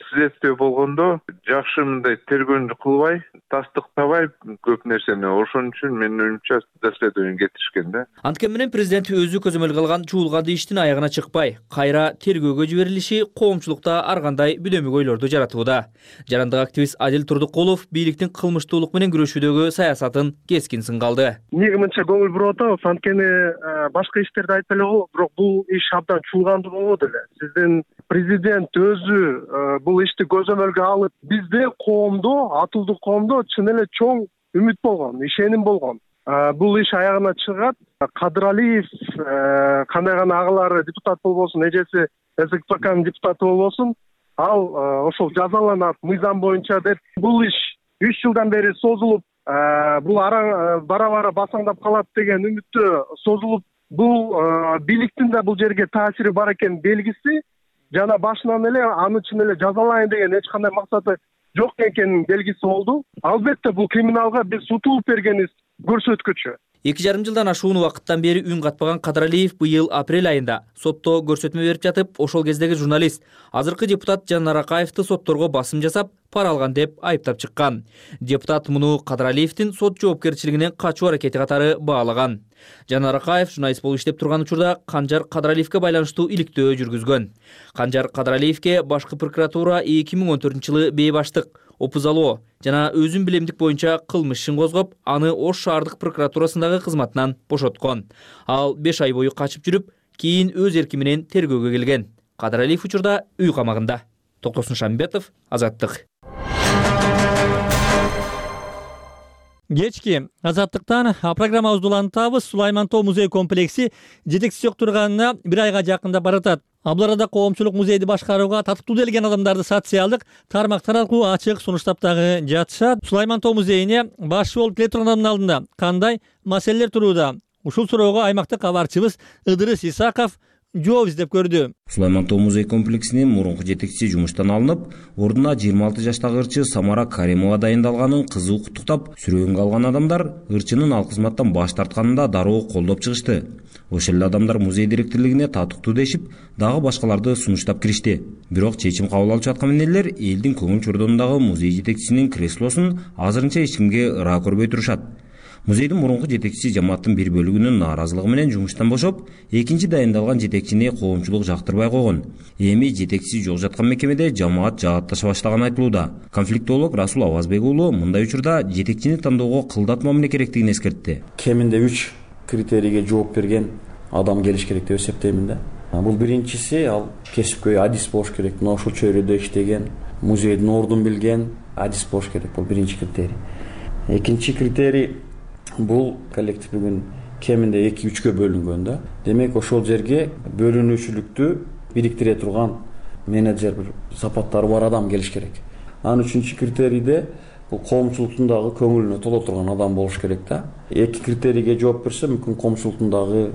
следствие болгондо жакшы мындай тергөөнү кылбай, тастыктабай көп нерсени. Ошон үчүн менин оюмча доследование кетиришкен да. Анткени менен президент өзү көзөмөл кылган чуулган иштин аягына чыкпай, кайра тергөөгө жиберилиши коомчулукта ар кандай бүдөмүк ойлорду жаратууда. Жарандык активист Адил Турдукулов бийликтин кылмыштуулук менен күрөшүүдөгү саясатын кескин сынга алды. Эмнеге мынча көңүл буруп атабыз? Анткени башка иштерди айтып эле болот, бирок бул иш абдан чуулгандуу болот эле. Сиздин президент өзү бул ишти көзөмөлгө алып, бизде коомдо, атылдуу коомдо чын эле чоң үмүт болгон, ишеним болгон. Бул иш аягына чыгат. Кадралиев кандай гана агалары депутат болбосун, эжеси СКПКнын депутаты болбосун, ал ошол жазаланат мыйзам боюнча деп. Бул иш 3 жылдан бери созулуп, бул бара-бара басаңдап калат деген үмүттө созулуп, бул бийликтин да бул жерге таасири бар экен белгиси. Жана башынан эле аны чын эле жазалайын деген эч кандай максаты жок экенин белгиси болду. Албетте бул криминалга биз утулуп бергенибиз көрсөткүчү. 2,5 жылдан ашуун убакыттан бери үн катпаган Кадралиев быйыл апрель айында сотто көрсөтмө берип жатып, ошол кездеги журналист, азыркы депутат Жанар Акаевди сотторго басым жасап, пара алган деп айыптап чыккан. Депутат муну Кадралиевдин сот жоопкерчилигинен качуу аракети катары баалаган. Жанар Акаев журналист болуп иштеп турган учурда Канжар Кадралиевге байланыштуу иликтөө жүргүзгөн. Канжар Кадралиевге башкы прокуратура 2014-жылы бейбаштык, опузалоо жана өзүн билемдик боюнча кылмыш ишин козгоп, аны Ош шаардык прокуратурасындагы кызматынан бошоткон. Ал 5 ай бою качып жүрүп, кийин өз эрки менен тергөөгө келген. Кадралиев учурда үй камагында. Токтосун Шамбетов, Азаттык. Кечки Азаттыктан программабызды улантабыз. Сулайман Тоо музей комплекси жетекчиси турганына 1 айга жакындап баратат. Бул арада коомчулук музейди башкарууга татыктуу келген адамдарды социалдык тармактар аркылуу ачык сунуштап дагы жатышат. Сулайман Тоо музейине башчы болуп келе тургандардын алдында кандай маселелер турууда? Ушул суроого аймактык кабарчыбыз Ыдырыс Исаков жооп издеп көрдү. Сулайман Тоо музей комплексинин мурунку жетекчиси жумуштан алынып, ордуна 26 жаштагы ырчы Самара Каримова дайындалганын кызуу куттуктап, сүрөөнгө алган адамдар ырчынын ал кызматтан баш тартканында дароо колдоп чыгышты. Ошол эле адамдар музей директорлугуна татыктуу дешип, дагы башкаларды сунуштап киришти. Бирок чечим кабыл алып жаткан эмнелер элдин көңүл чордонундагы музей жетекчисинин креслосун азырынча эч кимге ыраа көрбөй турушат. Музейдин мурунку жетекчиси жамааттын бир бөлүгүнүн нааразылыгы менен жумуштан бошоп, экинчи дайындалган жетекчини коомчулук жактырбай койгон. Эми жетекчиси жок жаткан мекемеде жамаат жаатташа баштаганы айтылууда. Конфликтолог Расул Авазбек уулу мындай учурда жетекчини тандоого кылдатма эмне керектигин эскертти. Кеминде 3 критерийге жооп берген адам келиш керек деп эсептеймин да. Бул биринчиси, ал кесипкөй адис болуш керек. Мына ушул чөйрөдө иштеген, музейдин ордун билген адис болуш керек. Бул биринчи критерий. Экинчи критерий бул коллектив кеминде 2-3кө бөлүнгөн да. Демек ошол жерге бөлүнүүчүлүктү бириктире турган менеджер, бир сапаттары бар адам келиш керек. Анын үчүнчү критерийде бул коомчулуктун дагы көңүлүнө толо турган адам болуш керек да. Эки критерийге жооп берсе, мүмкүн коомчулуктун дагы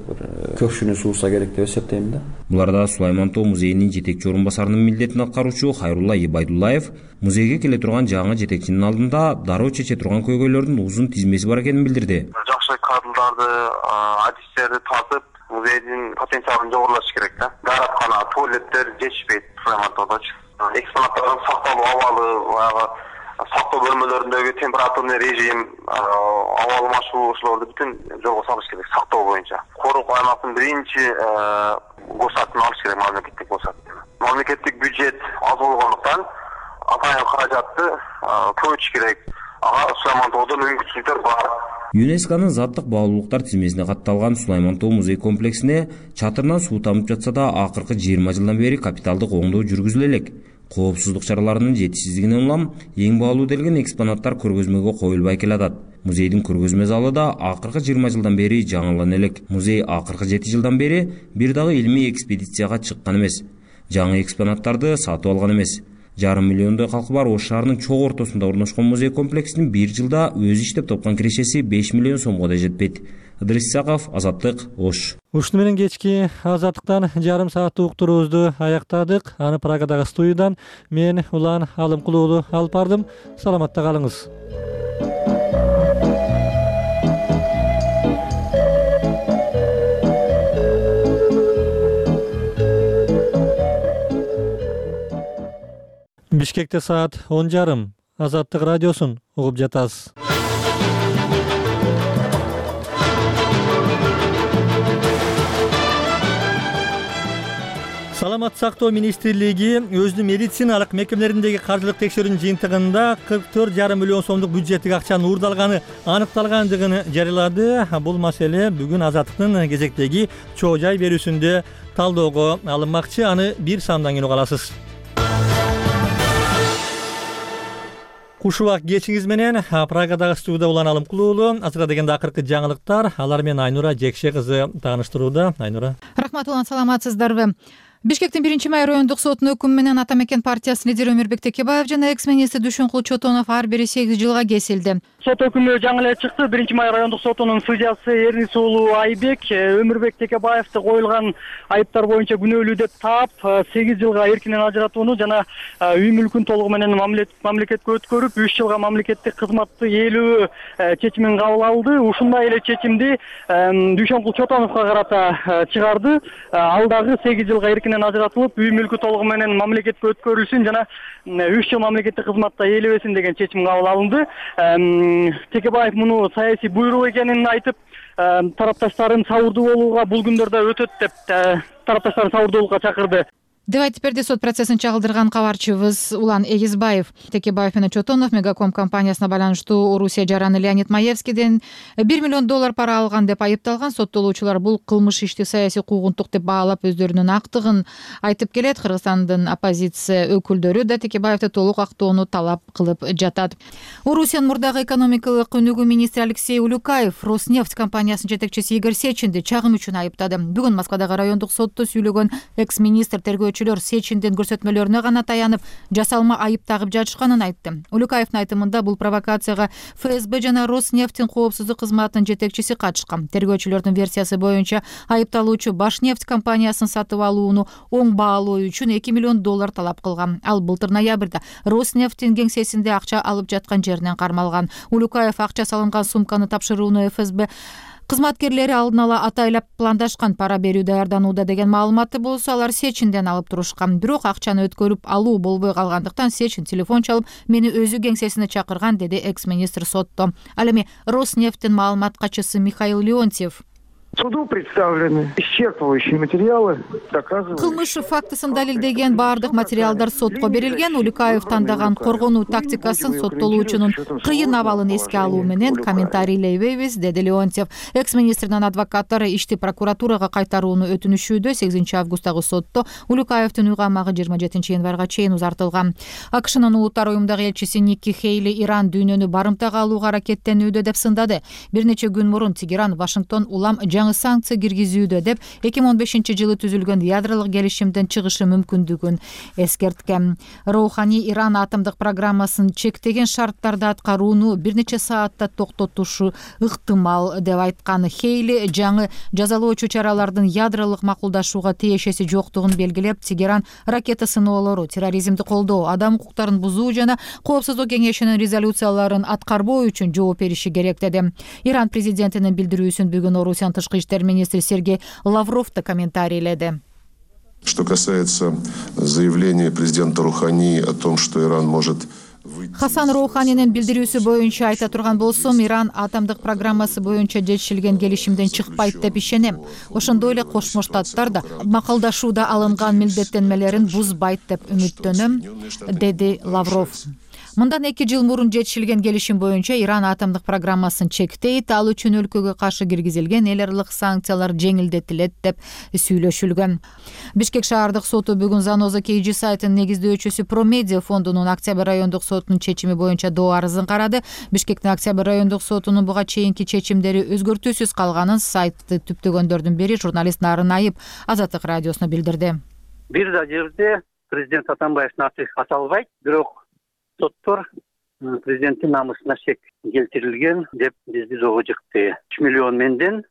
көкшүнү сууса керек деп эсептейм да. Буларда Сулайман Тоо музейинин жетекчи орун басарынын милдетин аткаруучу Хайрулла Ибайдуллаев музейге келе турган жаңы жетекчинин алдында дароо чече турган көйгөйлөрдүн узун тизмеси бар экенин билдирди. Жакшы кадрдарды, адистерди тартып, музейдин потенциалын жогорулатыш керек да. Даараткана, туалеттер жетишпейт Сулайман Тоодочу. Экспонаттардын сакталуу абалы, баягы сактоо бөлмөлөрүндөгү температурный режим, аба алмашуу ошолорду бүтүн жолго салыш керек сактоо боюнча. Корукуу аймактын биринчи госатын алыш керек, мамлекеттик госат. Мамлекеттик бюджет аз болгондуктан атайын каражатты көбөйтүш керек. Ага Сулайман Тоодо мүмкүнчүлүктөр бар. ЮНЕСКОнун заттык баалуулуктар тизмесине катталган Сулайман Тоо музей комплексине чатырынан суу тамып жатса да, акыркы 20 жылдан бери капиталдык оңдоо жүргүзүлө элек. Коопсуздук чараларынын жетишсиздигинен улам эң баалуу делген экспонаттар көргөзмөгө коюлбай келатат. Музейдин көргөзмө залы да акыркы 20 жылдан бери жаңылана элек. Музей акыркы 7 жылдан бери бир дагы илмий экспедицияга чыккан эмес. Жаңы экспонаттарды сатып алган эмес. 1,5 миллиондой калкы бар Ош шаарынын чок ортосунда орношкон музей комплексинин бир жылда өзү иштеп тапкан кирешеси 5 миллион сомго да жетпейт. Ыдырыс Исаков, Азаттык, Ош. Ушуну менен кечки Азаттыктан жарым сааттык уктуруубузду аяктадык. Аны Прагадагы студиядан мен Улан Алымкулуу алып бардым. Саламатта калыңыз. Бишкекте саат 10:30. Азаттык радиосун угуп жатасыз. Саламаттык сактоо министрлиги өзүнүн медициналык мекемелериндеги каржылык текшерүүнүн жыйынтыгында 44,5 миллион сомдук бюджеттик акчанын уурдалганы аныкталгандыгын жарыялады. Бул маселе бүгүн Азаттыктын кезектеги чоо жай берүүсүндө талоого алынмакчы. Аны бир сандан кийин уга аласыз. Куш убак кечиңиз менен Прагадагы студияда Улан Алымкулуу. Азыркы дегенде акыркы жаңылыктар. Алар менен Айнура Жекше кызы тааныштырууда. Айнура. Рахмат Улан, саламатсыздарбы? Бишкектин 1-май райондук сотунун өкүмү менен Ата Мекен партиясынын лидери Өмүрбек Текебаев жана экс-министр Дүйшөнкул Чотонов ар бири 8 жылга кесилди. Сот өкүмү жаңы эле чыкты. 1-май райондук сотунун судьясы Эрнис уулу Айбек Өмүрбек Текебаевди коюлган айыптар боюнча күнөөлүү деп таап 8 жылга эркинен ажыратууну жана үй мүлкүн толугу менен мамлекетке өткөрүп 3 жылга мамлекеттик кызматты ээлөө чечимин кабыл алды. Ушундай эле чечимди Дүйшөнкул Чотоновго карата чыгарды. Ал дагы 8 жылга эркинен ажыратылып, үй мүлкү толугу менен мамлекетке өткөрүлсүн жана 3 жыл мамлекеттик кызматта ээлебесин деген чечим кабыл алынды. Текебаев муну саясий буйрук экенин айтып, тарапташтарын сабырдуу болууга, бул күндөрдө өтөт деп тарапташтарын сабырдуулукка чакырды деп айтып берди сот процессин чагылдырган кабарчыбыз Улан Эгизбаев. Текебаев менен Чотонов Мегаком компаниясына байланыштуу Орусия жараны Леонид Маевскийден $1 миллион пара алган деп айыпталган. Соттолуучулар бул кылмыш ишти саясий куугунтук деп баалап өздөрүнүн актыгын айтып келет. Кыргызстандын оппозиция өкүлдөрү да Текебаевди толук актоону талап кылып жатат. Орусиянын мурдагы экономикалык өнүгүү министри Алексей Улюкаев Роснефть компаниясынын жетекчиси Игорь Сечинди чагым үчүн айыптады. Бүгүн Москвадагы райондук сотто сүйлөгөн экс-министр тергөөчүлөр Сечиндин көрсөтмөлөрүнө гана таянып, жасалма айып тагып жатышканын айтты. Улюкаевдин айтымында бул провокацияга ФСБ жана Роснефтьтин коопсуздук кызматынын жетекчиси катышкан. Тергөөчүлөрдүн версиясы боюнча айыпталуучу Башнефть компаниясын сатып алууну оң баалоо үчүн $2 миллион талап кылган. Ал былтыр ноябрда Роснефтьтин кеңсесинде акча алып жаткан жеринен кармалган. Улюкаев акча салынган сумканы тапшырууну ФСБ кызматкерлери алдын ала атайлап пландашкан, пара берүү даярданууда деген маалыматы болсо алар Сечинден алып турушкан. Бирок акчаны өткөрүп алуу болбой калгандыктан Сечин телефон чалып, мени өзү кеңсесине чакырган, деди экс-министр сотто. Ал эми Роснефтьтин маалымат катчысы Михаил Леонтьев. Суду представлены исчерпывающие материалы, доказывающие. Кылмыш фактысын далилдеген баардык материалдар сотко берилген. Улюкаев тандаган коргонуу тактикасын соттолуучунун кыйын абалын эске алуу менен комментарийлейбейбиз, деди Леонтьев. Экс-министрдин адвокаттары ишти прокуратурага кайтарууну өтүнүшүүдө. 8 августтагы сотто Улюкаевдин үй камагы 27 январга чейин узартылган. AKШнын улуттар уюмундагы элчиси Никки Хейли Иран дүйнөнү барымтага алууга аракеттенүүдө деп сындады. Бир нече күн мурун Тегеран Вашингтон улам жаңы санкция киргизүүдө деп 2015-жылы түзүлгөн ядролук келишимден чыгышы мүмкүндүгүн эскерткен. Роухани Иран атомдук программасын чектеген шарттарда аткарууну бир нече саатта токтотушу ыктымал деп айткан. Хейли жаңы жазалоочу чаралардын ядролук макулдашууга тиешеси жоктугун белгилеп, Тегеран ракета сыноолору, терроризмди колдоо, адам укуктарын бузуу жана Коопсуздук кеңешинин резолюцияларын аткарбоо үчүн жооп бериши керек деди. Иран президентинин билдирүүсүн бүгүн Орусиянын тышкы иштер министри Сергей Лавров да комментарийледи. Что касается заявления президента Рухани о том, что Иран может Хасан Роуханинин билдирүүсү боюнча айта турган болсом, Иран атомдук программасы боюнча жетишилген келишимден чыкпайт деп ишенем. Ошондой эле Кошмо Штаттар да макулдашууда алынган милдеттенмелерин бузбайт деп үмүттөнөм, деди Лавров. Мындан 2 жыл мурун жетишилген келишим боюнча Иран атомдук программасын чектейт, ал үчүн өлкөгө каршы киргизилген эл аралык санкциялар жеңилдетилет деп сүйлөшүлгөн. Бишкек шаардык соту бүгүн Заноза KG сайтынын негиздөөчүсү Промедиа фондунун Октябрь райондук сотунун чечими боюнча доо арызын карады. Бишкектин Октябрь райондук сотунун буга чейинки чечимдери өзгөртүүсүз калганын сайтты түптөгөндөрдүн бири журналист Нарын Айып Азаттык радиосуна билдирди. Бир да жерде президент Атамбаевдин аты аталбайт, бирок соттор президенттин намысына шек келтирилген деп бизди доого жыкты. 3 миллион менден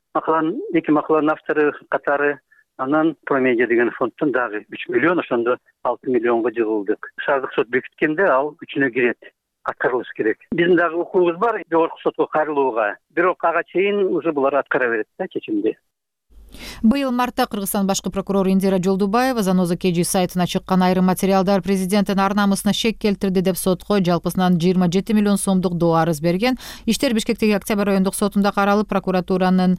эки макаланын автору катары, анан Промедиа деген фонддон дагы 3 миллион, ошондо 6 миллионго жыгылдык. Шаардык сот бекиткенде ал үчүнө кирет. Аткарылыш керек. Биздин дагы укугубуз бар жогорку сотко кайрылууга. Бирок ага чейин уже булар аткара берет да чечимди. Быйыл мартта Кыргызстан башкы прокурору Индира Жолдубаева Заноза KG сайтына чыккан айрым материалдар президенттин ар намысына шек келтирди деп сотко жалпысынан 27 миллион сомдук доо арыз берген. Иштер Бишкектеги Октябрь райондук сотунда каралып, прокуратуранын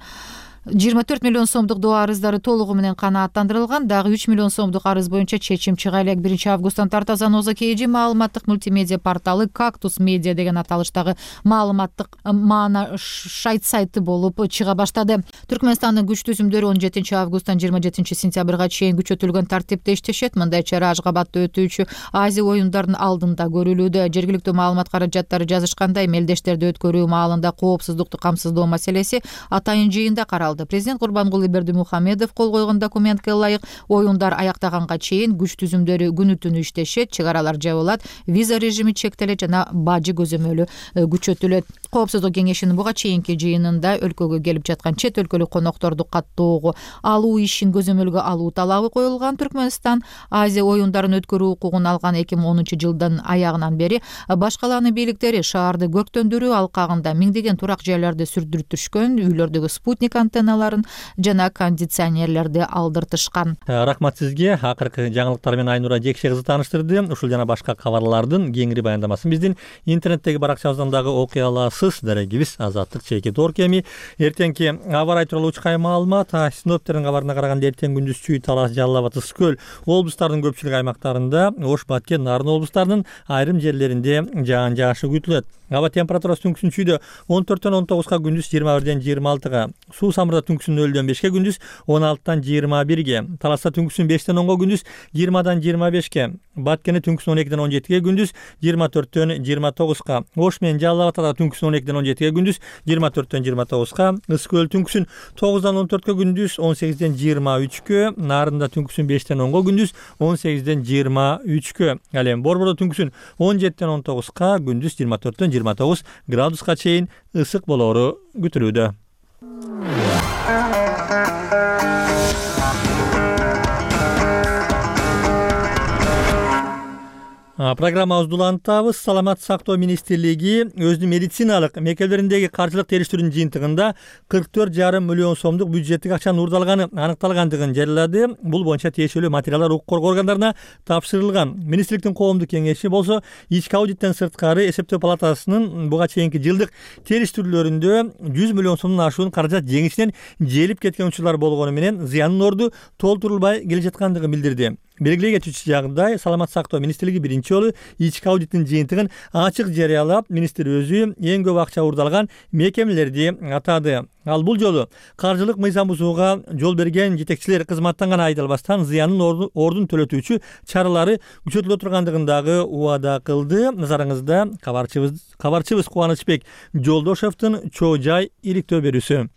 24 миллион сомдук доо арыздары толугу менен канааттандырылган. Дагы 3 миллион сомдук арыз боюнча чечим чыга элек. 1 августтан тарта Заноза KG маалыматтык мультимедиа порталы Кактус Медиа деген аталыштагы маалыматтык маана шайт сайты болуп чыга баштады. Түркмөнстандын күч түзүмдөрү 17 августтан 27 сентябрга чейин күчөтүлгөн тартипте иштешет. Мындай чара Ашгабадда өтүүчү Азия оюндарынын алдында көрүлүүдө. Жергиликтүү маалымат каражаттары жазышкандай, мелдештерди өткөрүү маалында коопсуздукту камсыздоо маселеси атайын жыйында каралды. Президент Курбангулы Бердимухамедов кол койгон документке ылайык оюндар аяктаганга чейин күч түзүмдөрү күнү-түнү иштешет, чыгаралар жабылат, виза режими чектелет жана бажы көзөмөлү күчөтүлөт. Коопсуздук кеңешинин буга чейинки жыйынында өлкөгө келип жаткан чет өлкөлүк конокторду каттоого алуу ишин көзөмөлгө алуу талабы коюлган. Түркмөнстан Азия оюндарын өткөрүү укугун алган 2010 жылдын аягынан бери башкаланын бийликтери шаарды көктөндүрүү алкагында миңдеген турак жайларды сүрдүртүшкөн, үйлөрдөгү спутник антенналарын жана кондиционерлерди алдыртышкан. Рахмат сизге. Акыркы жаңылыктар менен Айнура Жекше кызы тааныштырды. Ушул жана башка кабарлардын кеңири баяндамасын биздин интернеттеги баракчабыздан дагы окуй аласыз. Дарегибиз Азаттык чейки Торкеми. Эртеңки аба ырайы тууралуу учкай маалымат. Синоптиктердин кабарына караганда эртең күндүз Чүй, Талас, Жалал Абад, Ысык көл облустарынын көпчүлүк аймактарында, Ош, Баткен, Нарын облустарынын айрым жерлеринде жаан жаашы күтүлөт. Аба температурасы түнкүсүн Чүйдө 14-төн 19га, күндүз 21-ден 26га, Суу Самырда түнкүсүн 0-дөн 5ке, күндүз 16-тан 21ге, Таласта түнкүсүн 5-тен 10га, күндүз 20-дан 25ке, Баткенде түнкүсүн 12-ден 17ге, күндүз 24-төн 29га, Ош менен Жалал Абадта түнкүсүн 12-ден 17ге, күндүз 24-төн 29га, Ысык көл түнкүсүн 9-дан 14ке, күндүз 18-ден 23кө, Нарында түнкүсүн 5-тен 10га, күндүз 18-ден 23кө, ал эми Борбордо түнкүсүн 17-ден 19га, күндүз 24-төн 29 градуска чейин ысык болоору күтүлүүдө. Программабызды улантабыз. Саламаттык сактоо министрлиги өзүнүн медициналык мекемелериндеги каржылык териштирүүнүн жыйынтыгында 44,5 миллион сомдук бюджеттик акчанын уурдалганы аныкталгандыгын жарыялады. Бул боюнча тиешелүү материалдар укук коргоо органдарына тапшырылган. Министрликтин коомдук кеңеши болсо ички аудиттен сырткары эсептөө палатасынын буга чейинки жылдык териштирүүлөрүндө 100 миллион сомдон ашуун каражат жеңишинен желип кеткен учурлар болгону менен зыяндын орду толтурулбай келе жаткандыгын билдирди. Белгилей кетүүчү жагдай, Саламаттык сактоо министрлиги биринчи жолу ички аудиттин жыйынтыгын ачык жарыялап, министр өзү эң көп акча уурдалган мекемелерди атады. Ал бул жолу каржылык мыйзам бузууга жол берген жетекчилер кызматтан гана айдалбастан зыяндын ордун төлөтүүчү чаралары күчөтүлө тургандыгын дагы убада кылды. Назарыңызда кабарчыбыз Кубанычбек Жолдошовдун чоо жай иликтөө берүүсү.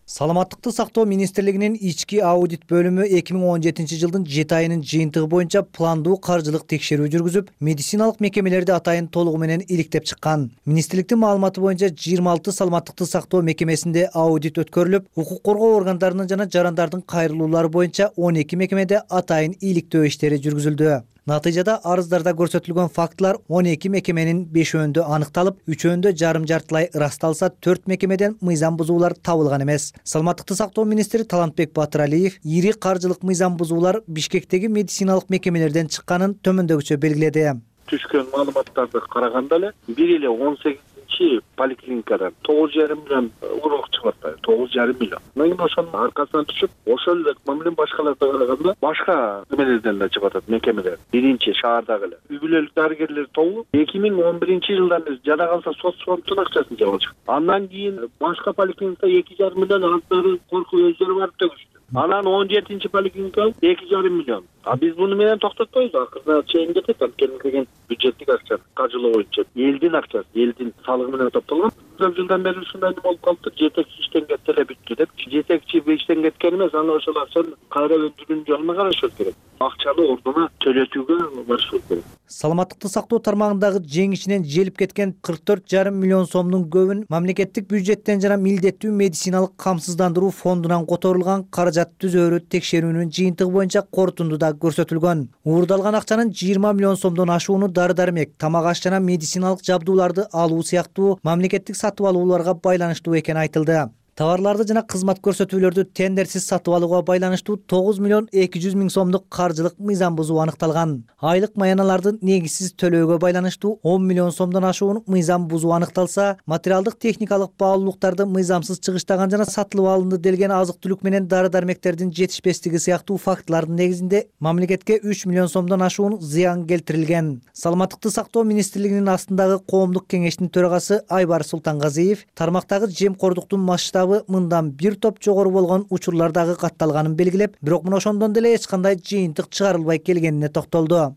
Саламаттыкты сактоо министрлигинин ички аудит бөлүмү 2017 жылдын 7 айынын жыйынтыгы боюнча пландуу каржылык текшерүү жүргүзүп, медициналык мекемелерди атайын толугу менен иликтеп чыккан. Министрликтин маалыматы боюнча 26 саламаттыкты сактоо мекемесинде аудит өткөрүлүп, укук коргоо органдарынын жана жарандардын кайрылуулары боюнча 12 мекемеде атайын иликтөө иштери жүргүзүлдү. Натыйжада арыздарда көрсөтүлгөн фактылар 12 мекеменин 5-өндө аныкталып, 3-өндө жарым-жартылай ырасталса, 4 мекемеден мыйзам бузуулар табылган эмес. Саламаттыкты сактоо министри Талантбек Батыралиев ири каржылык мыйзам бузуулар Бишкектеги медициналык мекемелерден чыкканын төмөндөгүчө белгиледи. Түшкөн маалыматтарды караганда эле бир эле 18 жетекчи поликлиникадан 9,5 миллион урок чыгып атпайбы, 9,5 миллион. Мен ошонун аркасынан түшүп, ошол эле менен башкаларга караганда башка немелерден да чыгып атат, мекемелер. Биринчи шаардагы эле. Үй бүлөлүк дарыгерлер тобу 2011-жылдан бери жада калса соцфонддун акчасын жеп алышкан. Андан кийин башка поликлиникада 2,5 миллион алып коркуп өздөрү барып төгүштү. Анан 17-чи поликлиника 2,5 миллион. Биз буну менен токтотпойбуз. Акырына чейин кетет, анткени бюджеттик акча каржылоо боюнча элдин акчасы, элдин салыгы менен топтолгон. Көп жылдан бери ушундай неме болуп калыптыр. Жетекчи иштен кетти эле бүттү деп. Жетекчи иштен кеткен эмес, аны ошол акчаны кайра өндүрүүнүн жолуна карашыбыз керек. Акчаны ордуна төлөтүүгө барышыбыз керек. Саламаттыкты сактоо тармагындагы жеңишинен желип кеткен 44,5 миллион сомдун көбүн мамлекеттик бюджеттен жана милдеттүү медициналык камсыздандыруу фондунан которулган каражат түзөөрү текшерүүнүн жыйынтыгы боюнча корутундуда көрсөтүлгөн. Уурдалган акчанын 20 миллион сомдон ашууну дары-дармек, тамак аш жана медициналык жабдууларды алуу сыяктуу мамлекеттик сатып алууларга байланыштуу экени айтылды. Товарларды жана кызмат көрсөтүүлөрдү тендерсиз сатып алууга байланыштуу 9 миллион 200 миң сомдук каржылык мыйзам бузуу аныкталган. Айлык маяналарды негизсиз төлөөгө байланыштуу 10 миллион сомдон ашуун мыйзам бузуу аныкталса, материалдык техникалык баалуулуктарды мыйзамсыз чыгыштаган жана сатылып алынды делген азык-түлүк менен дары-дармектердин жетишпестиги сыяктуу фактылардын негизинде мамлекетке 3 миллион сомдон ашуун зыян келтирилген. Саламаттыкты сактоо министрлигинин астындагы коомдук кеңештин төрагасы Айбар Султангазиев тармактагы жемкордуктун масштабы мындан бир топ жогору болгон учурлардагы катталганын белгилеп, бирок мына ошондон деле эч кандай жыйынтык чыгарылбай келгенине токтолду.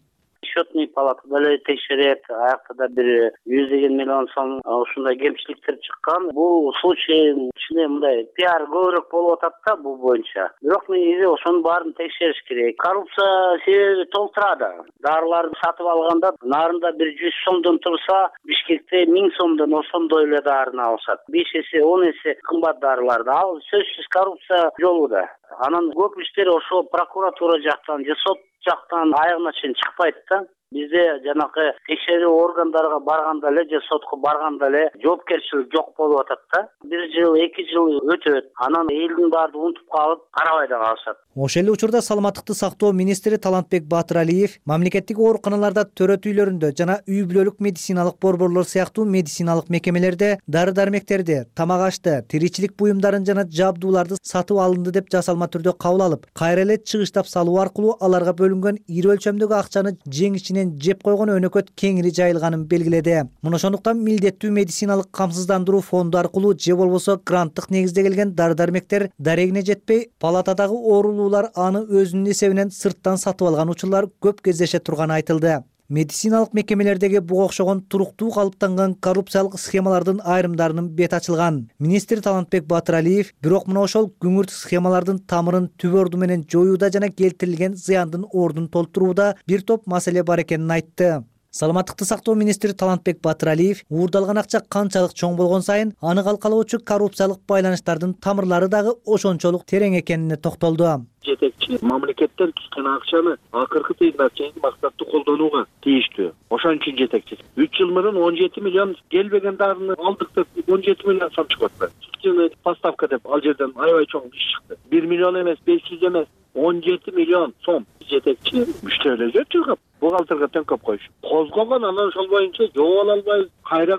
Счетный палата деле текшерет, аякта да бир 100 миллион сом ушундай кемчиликтер чыккан. Бул случай ичинде мындай пиар көбүрөөк болуп атат да бул боюнча. Бирок негизи ошонун баарын текшериш керек. Коррупция себеби толтурады. Дарыларды сатып алганда нарында 100 сомдон турса, Бишкекте 1000 сомдон ошондой эле дарыны алышат. 5 эсе, 10 эсе кымбат дарыларды. Ал сөзсүз коррупция жолуда. Анан көп иштер ошо прокуратура жактан же сот жактан аягына чейин чыкпайт да. Бизде жанакы текшерүү органдарга барганда эле же сотко барганда эле жоопкерчилик жок болуп атат да. 1 жыл, 2 жыл өтөт. Анан элдин баары унутуп калып, карабай да калышат. Ошол эле учурда саламаттыкты сактоо министри Талантбек Батыралиев мамлекеттик ооруканаларда, төрөт үйлөрүндө жана үй бүлөлүк медициналык борборлор сыяктуу медициналык мекемелерде дары-дармектерди, тамак ашты, тиричилик буюмдарын жана жабдууларды сатып алынды деп жасалма түрдө кабыл алып, кайра эле чыгыштап салуу аркылуу аларга бөлүнгөн ири өлчөмдөгү акчаны жеңишинен жеп койгон өнөкөт кеңири жайылганын белгиледи. Мына ошондуктан милдеттүү медициналык камсыздандыруу фонду аркылуу же болбосо гранттык негизде келген дары-дармектер дарегине жетпей, палатадагы оорулуулар аны өзүнүн эсебинен сырттан сатып алган учурлар көп кездеше турганы айтылды. Медициналык мекемелердеги буга окшогон туруктуу калыптанган коррупциялык схемалардын айрымдарынын бети ачылган. Министр Талантбек Батыралиев бирок мына ошол күңүрт схемалардын тамырын түп орду менен жоюуда жана келтирилген зыяндын ордун толтурууда бир топ маселе бар экенин айтты. Саламаттыкты сактоо министри Талантбек Батыралиев уурдалган акча канчалык чоң болгон сайын аны калкалоочу коррупциялык байланыштардын тамырлары дагы ошончолук терең экенине токтолду. Жетекчи мамлекеттен түшкөн акчаны акыркы тыйынга чейин максаттуу колдонууга тийиштүү. Ошон үчүн жетекчи 3 жыл мурун 17 миллион келбеген дарыны алдык деп 17 миллион сом чыгып атты. Сүтчүнү поставка деп ал жерден аябай чоң иш чыкты. 1 миллион эмес, 500 эмес, 17 миллион сом. Жетекчи мүчтөлөгө чыгып бухгалтерге төңкөп коюш. Козгогон, анан ошол боюнча жооп ала албай, кайра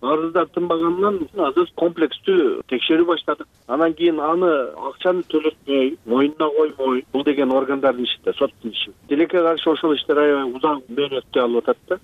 арыздар тынбаганынан азыр комплекстүү текшерүү баштадык. Анан кийин аны акчаны төлөтпөй, моюнуна коймой, бул деген органдардын иши да, соттун иши. Тилекке каршы ошол иштер аябай узак мөөнөттү алып атат да.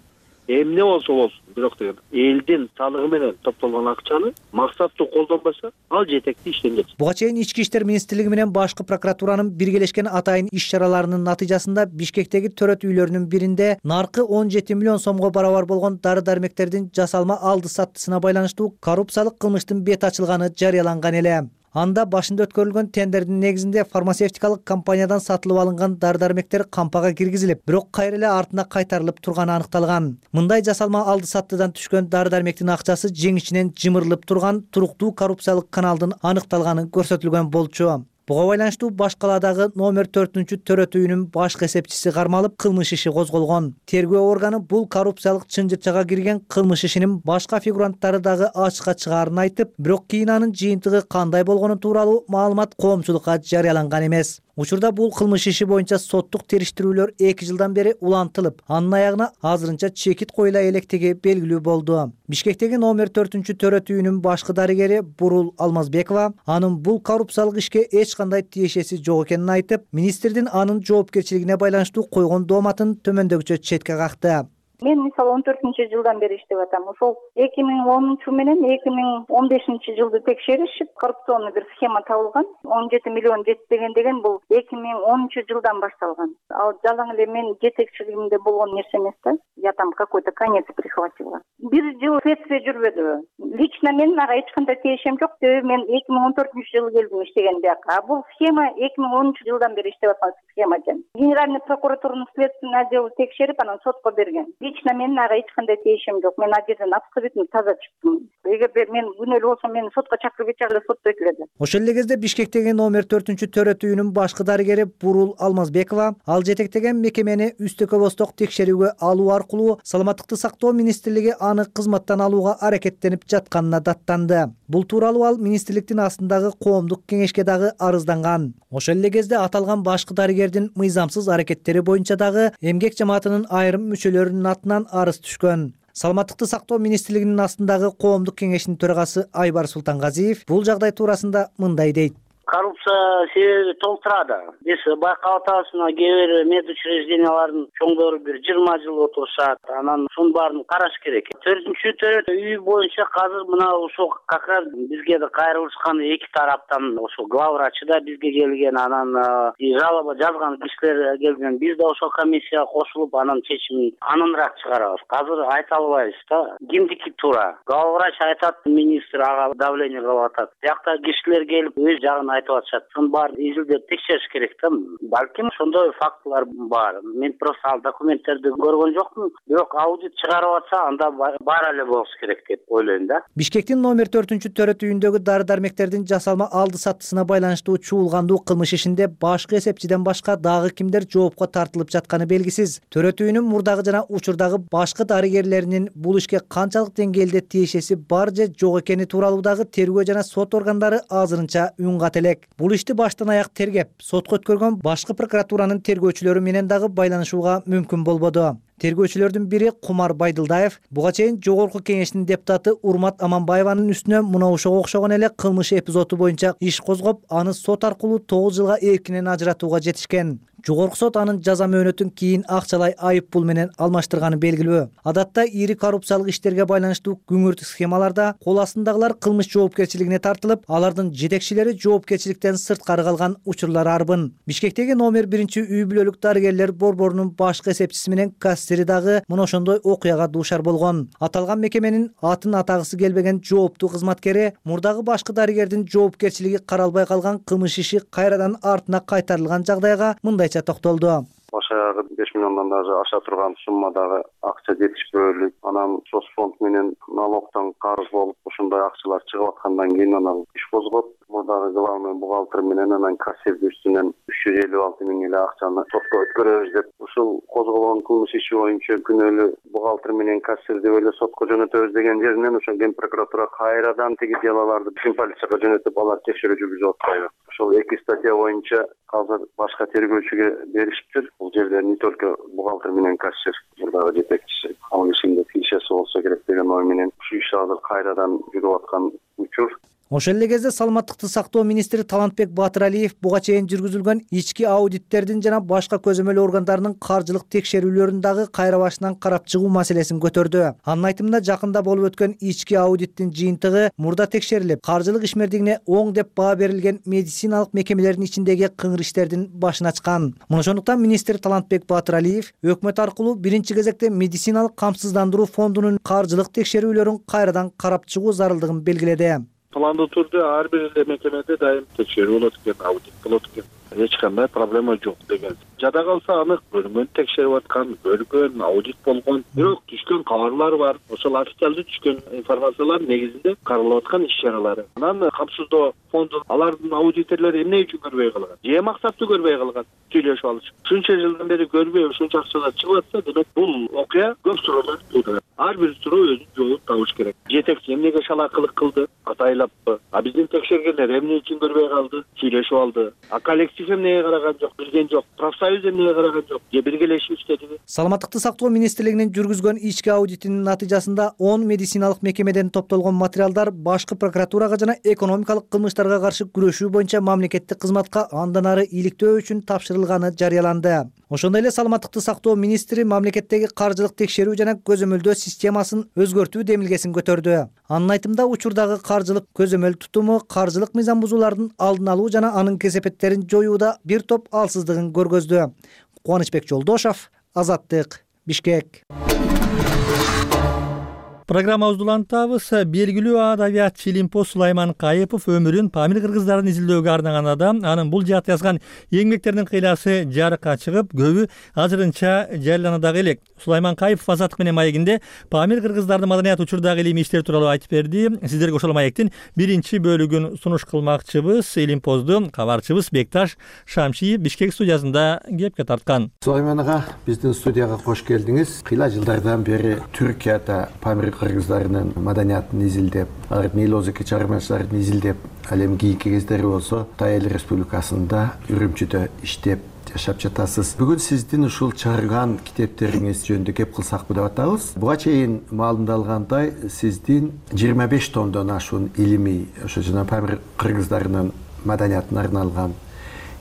Эмне болсо болсун, бирок деген элдин салыгы менен топтолгон акчаны максаттуу колдонбаса, ал жетекти иштен кетет. Буга чейин Ички иштер министрлиги менен башкы прокуратуранын биргелешкен атайын иш-чараларынын натыйжасында Бишкектеги төрөт үйлөрүнүн биринде наркы 17 миллион сомго барабар болгон дары-дармектердин жасалма алды-саттысына байланыштуу коррупциялык кылмыштын бети ачылганы жарыяланган эле. Анда башында өткөрүлгөн тендердин негизинде фармацевтикалык компаниядан сатылып алынган дары-дармектер кампага киргизилип, бирок кайра эле артына кайтарылып турганы аныкталган. Мындай жасалма алды-саттыдан түшкөн дары-дармектин акчасы жеңишинен жымырылып турган туруктуу коррупциялык каналдын аныкталганы көрсөтүлгөн болчу. Буга байланыштуу баш каладагы номер 4-чү төрөт үйүнүн башкы эсепчиси кармалып, кылмыш иши козголгон. Тергөө органы бул коррупциялык чынжырчага кирген кылмыш ишинин башка фигуранттары дагы ачыкка чыгаарын айтып, бирок кийин анын жыйынтыгы кандай болгону тууралуу маалымат коомчулукка жарыяланган эмес. Учурда бул кылмыш иши боюнча соттук териштирүүлөр 2 жылдан бери улантылып, анын аягына азырынча чекит коюла электиги белгилүү болду. Бишкектеги номер 4-төрөт үйүнүн башкы дарыгери Бурул Алмазбекова анын бул коррупциялык ишке эч кандай тиешеси жок экенин айтып, министрдин анын жоопкерчилигине байланыштуу койгон дооматын төмөндөгүчө четке какты. Мен мисалы 14-жылдан бери иштеп атам. Ошол 2010 менен 2015-жылды текшеришип, коррупционный бир схема табылган. 17 миллион жетпеген деген бул 2010-жылдан башталган. Ал жалаң эле мен жетекчилигимде болгон нерсе эмес да. Я там какой-то конец прихватила. Бир жыл следствие жүрбөдү. Лично мен ага эч кандай тиешем жок. Мен 2014-жылы келдим иштеген бияка. А бул схема 2010-жылдан бери иштеп аткан схема экен. Генеральный прокуратуранын следственный отделы текшерип, анан сотко берген. Лично мен ага эч кандай тиешем жок. Мен ал жерден абсолютно таза чыктым. Эгерде мен күнөөлүү болсом, мени сотко чакырып кетчү, сотто этиледи. Ошол эле кезде Бишкектеги номер 4-төрөт үйүнүн башкы дарыгери Бурул Алмазбекова ал жетектеген мекемени үстөкө босток текшерүүгө алуу аркылуу Саламаттыкты сактоо министрлиги аны кызматтан алууга аракеттенип жатканына даттанды. Бул тууралуу ал министрликтин астындагы коомдук кеңешке дагы арызданган. Ошол эле кезде аталган башкы дарыгердин мыйзамсыз аракеттери боюнча дагы эмгек жамаатынын айрым мүчөлөрүнүн атынан арыз түшкөн. Саламаттыкты сактоо министрлигинин астындагы коомдук кеңештин төрагасы Айбар Султангазиев бул жагдай туурасында мындай дейт. Коррупция себеби толтурады. Биз байкап атабыз, кээ бир медучреждениялардын чоңдору бир 20 жыл отурушат. Анан ушунун баарын караш керек. 4-төрөт үй боюнча азыр мына ошол как раз бизге да кайрылышкан эки тараптан ошол главврачы да бизге келген, анан жалоба жазган кишилер келген. Биз да ошол комиссияга кошулуп, анан чечимин аныныраак чыгарабыз. Азыр айта албайбыз да. Кимдики туура? Главврач айтат, министр ага давление кылып атат. Биякта кишилер келип өз жагын айтып атышат. Шунун баарын изилдеп текшериш керек да. Балким ошондой фактылар бар. Мен просто ал документтерди көргөн жокмун. Бирок аудит чыгарып атса, анда бар эле болуш керек деп ойлойм да. Бишкектин номер 4-төрөт үйүндөгү дары-дармектердин жасалма алды саттысына байланыштуу чуулгандуу кылмыш ишинде башкы эсепчиден башка дагы кимдер жоопко тартылып жатканы белгисиз. Төрөт үйүнүн мурдагы жана учурдагы башкы дарыгерлеринин бул ишке канчалык деңгээлде тиешеси бар же жок экени тууралуу дагы тергөө жана сот органдары азырынча үн кат элек. Бул ишти баштан аяк тергеп, сотко өткөргөн башкы прокуратуранын тергөөчүлөрү менен дагы байланышууга мүмкүн болбоду. Тергөөчүлөрдүн бири Кумар Байдылдаев буга чейин Жогорку кеңештин депутаты Урмат Аманбаеванын үстүнө мына ошого окшогон эле кылмыш эпизоду боюнча иш козгоп, аны сот аркылуу 9 жылга эркинен ажыратууга жетишкен. Жогорку сот анын жаза мөөнөтүн кийин акчалай айып пул менен алмаштырганы белгилүү. Адатта ири коррупциялык иштерге байланыштуу күңүртүк схемаларда кол астындагылар кылмыш жоопкерчилигине тартылып, алардын жетекчилери жоопкерчиликтен сырткары калган учурлар арбын. Бишкектеги номер 1-үй бүлөлүк дарыгерлер борборунун башкы эсепчиси менен кассири дагы мына ошондой окуяга дуушар болгон. Аталган мекеменин атын атагысы келбеген жооптуу кызматкери мурдагы башкы дарыгердин жоопкерчилиги каралбай калган кылмыш иши кайрадан артына кайтарылган жагдайга мындай токтолду. Башаягы 5 миллиондон даже аша турган суммадагы акча жетишпөөлүк, анан соцфонд менен налогтон карыз болуп, ошондой акчалар чыгып аткандан кийин анан иш козгоп, мурдагы главный бухгалтер менен анан кассирдин үстүнөн 356 миң эле акчаны сотко өткөрөбүз деп, ушул козголгон кылмыш иши боюнча күнөөлүү бухгалтер менен кассир деп эле сотко жөнөтөбүз деген жеринен ошол ген прокуратура кайрадан тиги делаларды биздин полицияга жөнөтүп, алар текшерүү жүргүзүп атпайбы. Ошол эки статья боюнча азыр башка тергөөчүгө беришиптир. Бул жерде не только бухгалтер менен кассир, мурдагы жетекчиси, ал ишинде тиешеси болсо керек деген ой менен ушу иш азыр кайрадан жүрүп аткан учур. Ошол эле кезде Саламаттыкты сактоо министри Талантбек Батыралиев буга чейин жүргүзүлгөн ички аудиттердин жана башка көзөмөл органдарынын каржылык текшерүүлөрүн дагы кайра башынан карап чыгуу маселесин көтөрдү. Анын айтымында жакында болуп өткөн ички аудиттин жыйынтыгы мурда текшерилип, каржылык ишмердигине оң деп баа берилген медициналык мекемелердин ичиндеги кыңыр иштердин башын ачкан. Мына ошондуктан министр Талантбек Батыралиев өкмөт аркылуу биринчи кезекте медициналык камсыздандыруу фондунун каржылык текшерүүлөрүн кайрадан карап чыгуу зарылдыгын белгиледи. Пландуу түрдө ар бир мекемеде дайым текшерүү болот экен, аудит болот экен. Эч кандай проблема жок деген. Жада калса анык бөлүнгөн текшерип аткан, бөлгөн, аудит болгон, бирок түшкөн кабарлар бар. Ошол официалдуу түшкөн информациялар негизинде каралып аткан иш чаралары. Анан камсыздоо фонду алардын аудитерлери эмне үчүн көрбөй калган? Же максаттуу көрбөй калган? Сүйлөшүп алыш. Ушунча жылдан бери көрбөй ушунча акчалар чыгып атса, демек бул окуя көп суроолор туудурат. ар бир суроо өзүнүн жообун табыш керек. Жетекчи эмнеге шалаакылык кылды, атайлаппы? Биздин текшергендер эмне үчүн көрбөй калды? Сүйлөшүп алды. Коллектив эмнеге караган жок, билген жок. Профсоюз эмнеге караган жок? Же биргелешип иштедиби? Саламаттыкты сактоо министрлигинин жүргүзгөн ички аудитинин натыйжасында 10 медициналык мекемеден топтолгон материалдар башкы прокуратурага жана экономикалык кылмыштарга каршы күрөшүү боюнча мамлекеттик кызматка андан ары иликтөө үчүн тапшырылганы жарыяланды. Ошондой эле саламаттыкты сактоо министри мамлекеттеги каржылык текшерүү жана көзөмөлдөө системасын өзгөртүү демилгесин көтөрдү. Анын айтымында учурдагы каржылык көзөмөл тутуму каржылык мыйзам бузуулардын алдын алуу жана анын кесепеттерин жоюуда бир топ алсыздыгын көргөздү. Кубанычбек Жолдошов, Азаттык, Бишкек. Программабызды улантабыз. Белгилүү адабиятчы Илимпоз Сулайман Кайыпов өмүрүн Памир кыргыздарын изилдөөгө арнаган адам. Анын бул жаатта жазган эңмектеринин кыйласы жарыкка чыгып, көбү азырынча жарыялана дагы элек. Сулайман Кайыпов Азаттык менен маегинде Памир кыргыздардын маданият учурдагы илимий иштери тууралуу айтып берди. Сиздерге ошол маектин биринчи бөлүгүн сунуш кылмакчыбыз. Илимпозду кабарчыбыз Бекташ Шамшиев Бишкек студиясында кепке тарткан. Сулайман ага, биздин студияга кош келдиңиз. Кыйла жылдардан бери Түркияда Памир кыргыздарынын маданиятын изилдеп, алардын эл озеки чыгармачыларын изилдеп, ал эми кийинки кездери болсо Кытай Эл Республикасында Үрүмчүдө иштеп жашап жатасыз. Бүгүн сиздин ушул чыгарган китептериңиз жөнүндө кеп кылсакпы деп атабыз. Буга чейин маалымдалгандай, сиздин 25 томдон ашуун илимий, ошо жана Памир кыргыздарынын маданиятына арналган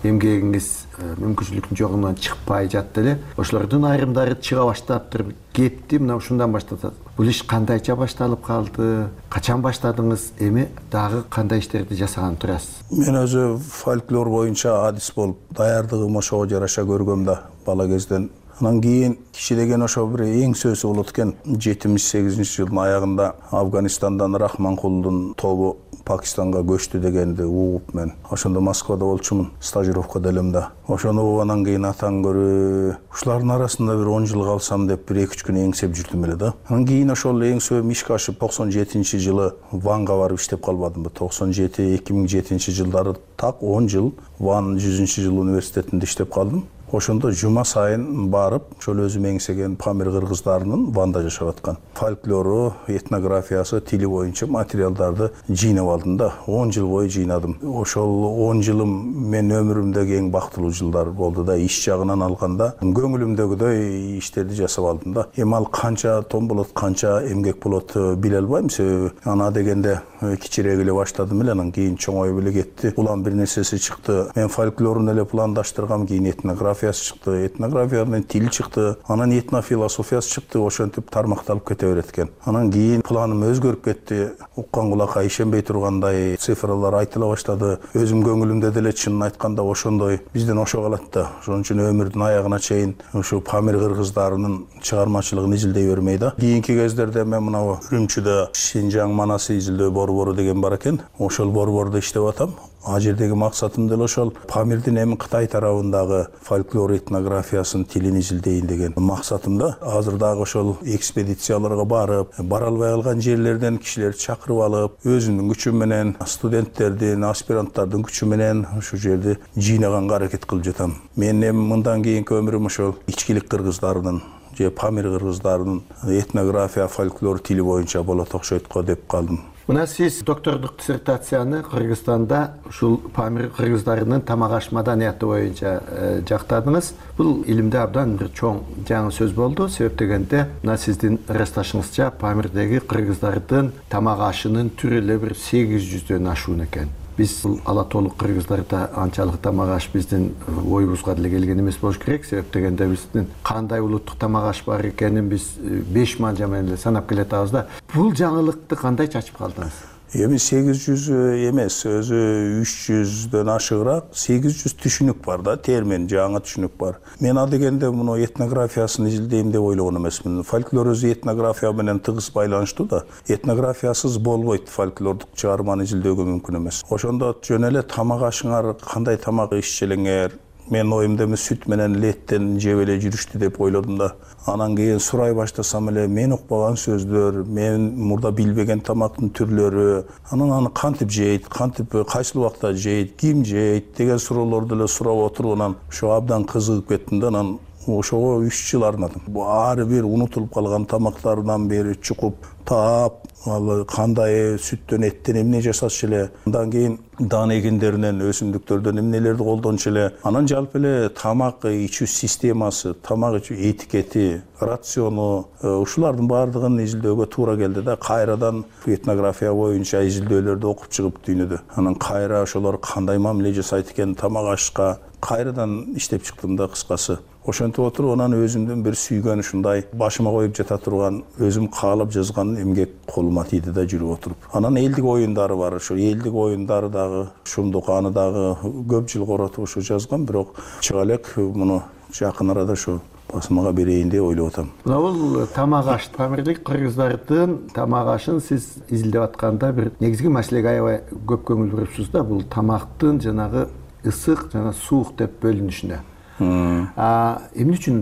эмгегиңиз мүмкүнчүлүктүн жогунан чыкпай жатты эле. Ошолордун айрымдары чыга баштаптыр. Кетти, мына ушундан башталат. Бул иш кандайча башталып калды? Качан баштадыңыз? Эми дагы кандай иштерди жасаган турасыз? Мен өзү фольклор боюнча адис болуп даярдыгым ошого жараша көргөм да бала кезден. Анан кийин киши деген ошо бир эң сөзү болот экен. 78 жылдын аягында Афганистандан Рахманкулдун тобу Пакистанга көчтү дегенди угуп мен ошондо Москвада болчумун, стажировкада элем да. Ошону угандан кийин атаң көрүп, ушулардын арасында бир 10 жыл калсам деп бир 2-3 күн эңсеп жүрдүм эле да. Анан кийин ошол эңсөөм ишке ашып 97-жылы Ванга барып иштеп калбадымбы. 97-2007 жылдары так 10 жыл Ван 100-жыл университетинде иштеп калдым. Ошондо жума сайын барып, ошол өзүм эңсеген Памир кыргыздарынын Ванда жашап аткан фольклору, этнографиясы, тили боюнча материалдарды жыйнап алдым да. 10 жыл бою жыйнадым. Ошол 10 жылым мен өмүрүмдөгү эң бактылуу жылдар болду да. Иш жагынан алганда көңүлүмдөгүдөй иштерди жасап алдым да. Эми ал канча том болот, канча эмгек болот биле албайм. Себеби ана дегенде кичирээк эле баштадым эле, анан кийин чоңоюп эле кетти. Улам бир нерсеси чыкты. Мен фольклорун эле пландаштыргам, кийин этнография чыкты, этнографиянын тил чыкты, анан этнофилософиясы чыкты, ошентип тармакталып кете берет экен. Анан кийин планым өзгөрүп кетти. Уккан кулакка ишенбей тургандай цифралар айтыла баштады. Өзүм көңүлүмдө деле чынын айтканда ошондой бизден ошо калат да. Ошон үчүн өмүрдүн аягына чейин ушу Памир кыргыздарынын чыгармачылыгын изилдей бермей да. Кийинки кездерде мен мына Үрүмчүдө Шинжаң манасы изилдөө борбору деген бар экен. Ошол борбордо иштеп атам. А жердеги максатым деле ошол Памирдин эми Кытай тарабындагы фольклор этнографиясын тилин изилдейин деген максатым да. Азыр дагы ошол экспедицияларга барып, бара албай калган жерлерден кишилерди чакырып алып, өзүмдүн күчүм менен, студенттердин, аспиранттардын күчү менен ушул жерди жыйнаганга аракет кылып жатам. Мен эми мындан кийинки өмүрүм ошол ичкилик кыргыздарынын же Памир кыргыздарынын этнография, фольклор тили боюнча болот окшойт го деп калдым. Мына сиз доктордук диссертацияны Кыргызстанда ушул Памир кыргыздарынын тамак аш маданияты боюнча жактадыңыз. Бул илимде абдан бир чоң жаңы сөз болду. Себеп дегенде, мына сиздин ырасташыңызча Памирдеги кыргыздардын тамак ашынын түрү эле бир 800дөн ашуун экен. Биз ала толук кыргыздарда анчалык тамак аш биздин оюбузга деле келген эмес болуш керек. Себеп дегенде биздин кандай улуттук тамак аш бар экенин биз 5 манжа менен эле санап келатабыз да. Бул жаңылыкты кандай чачып калдыңыз? Эми 800 эмес, өзү 300дөн ашыгыраак 800 түшүнүк бар да, термин, жаңы түшүнүк бар. Мен ал дегенде муну этнографиясын изилдейм деп ойлогон эмесмин. Фольклор өзү этнография менен тыгыз байланыштуу да. Этнографиясыз болбойт, фольклордук чыгарманы изилдөөгө мүмкүн эмес. Ошондо жөн эле тамак ашыңар кандай тамак ишчелеңер, мен оюмда эми сүт менен леттен жеп эле жүрүштү деп ойлодум да. Анан кийин сурай баштасам эле мен укпаган сөздөр, мен мурда билбеген тамактын түрлөрү, анан аны кантип жейт, кантип кайсыл убакта жейт, ким жейт деген суроолорду эле сурап отуруп, анан ошо абдан кызыгып кеттим да. Анан ошого 3 жыл арнадым. Ар бир унутулуп калган тамактардан бери чукуп таап, ал кандай сүттөн, эттен эмне жасашчу эле, андан кийин дан эгиндеринен, өсүмдүктөрдөн эмнелерди колдончу эле, анан жалпы эле тамак ичүү системасы, тамак ичүү этикети, рациону, ушулардын баардыгын изилдөөгө туура келди да. Кайрадан этнография боюнча изилдөөлөрдү окуп чыгып дүйнөдө. Анан кайра ошолор кандай мамиле жасайт экен тамак ашка кайрадан иштеп чыктым да кыскасы. Ошентип отуруп анан өзүмдүн бир сүйгөн ушундай башыма коюп жата турган, өзүм каалап жазган эмгек колума тийди да жүрүп отуруп. Анан элдик оюндары бар. Ошо элдик оюндары дагы шумдук, аны дагы көп жыл коротуп ошо жазгам, бирок чыга элек муну жакын арада ошо басмага берейин деп ойлоп атам. Мына бул тамак аш, Памирлик кыргыздардын тамак ашын сиз изилдеп атканда бир негизги маселеге аябай көп көңүл бурупсуз да, бул тамактын жанагы ысык жана суук деп бөлүнүшүнө. Эмне үчүн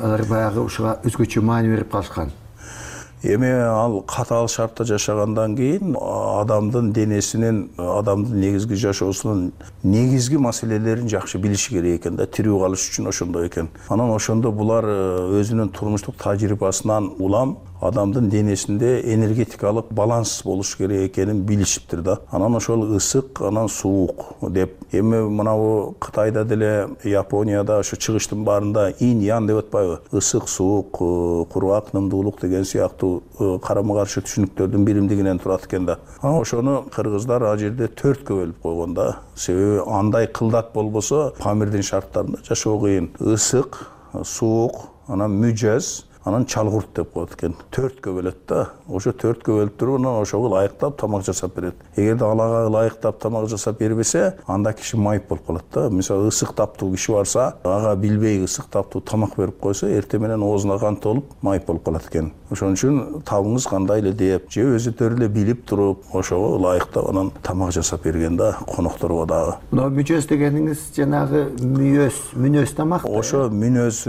алар баягы ушуга өзгөчө маани берип калышкан? Эми ал катаал шартта жашагандан кийин адамдын денесинин, адамдын негизги жашоосунун негизги маселелерин жакшы билиши керек экен да, тирүү калыш үчүн ошондой экен. Анан ошондо булар өзүнүн турмуштук тажрыйбасынан улам адамдын денесинде энергетикалык баланс болуш керек экенин билишиптир да. Анан ошол ысык, анан суук деп. Эми мынабу Кытайда деле, Японияда, ошо чыгыштын баарында ин ян деп атпайбы? Ысык, суук, кургак, нымдуулук деген сыяктуу карама каршы түшүнүктөрдүн биримдигинен турат экен да. Ошону кыргыздар ал жерде 4кө бөлүп койгон да. Себеби андай кылдат болбосо Памирдин шарттарында жашоо кыйын. Ысык, суук, анан мүжөз, анан чалгурт деп коет экен. 4кө бөлөт да. Ошо 4кө бөлүп туруп, анан ошого ылайыктап тамак жасап берет. Эгерде алага ылайыктап тамак жасап бербесе, анда киши майып болуп калат да. Мисалы ысык таптуу киши барса, ага билбей ысык таптуу тамак берип койсо, эртең менен оозуна кан толуп майып болуп калат экен. Ошон үчүн табыңыз кандай эле деп, же өзүлөрү эле билип туруп, ошого ылайыктап анан тамак жасап берген да, конокторго дагы. Мына мүжөз дегениңиз жанагы мүнөз тамак. Ошо мүнөз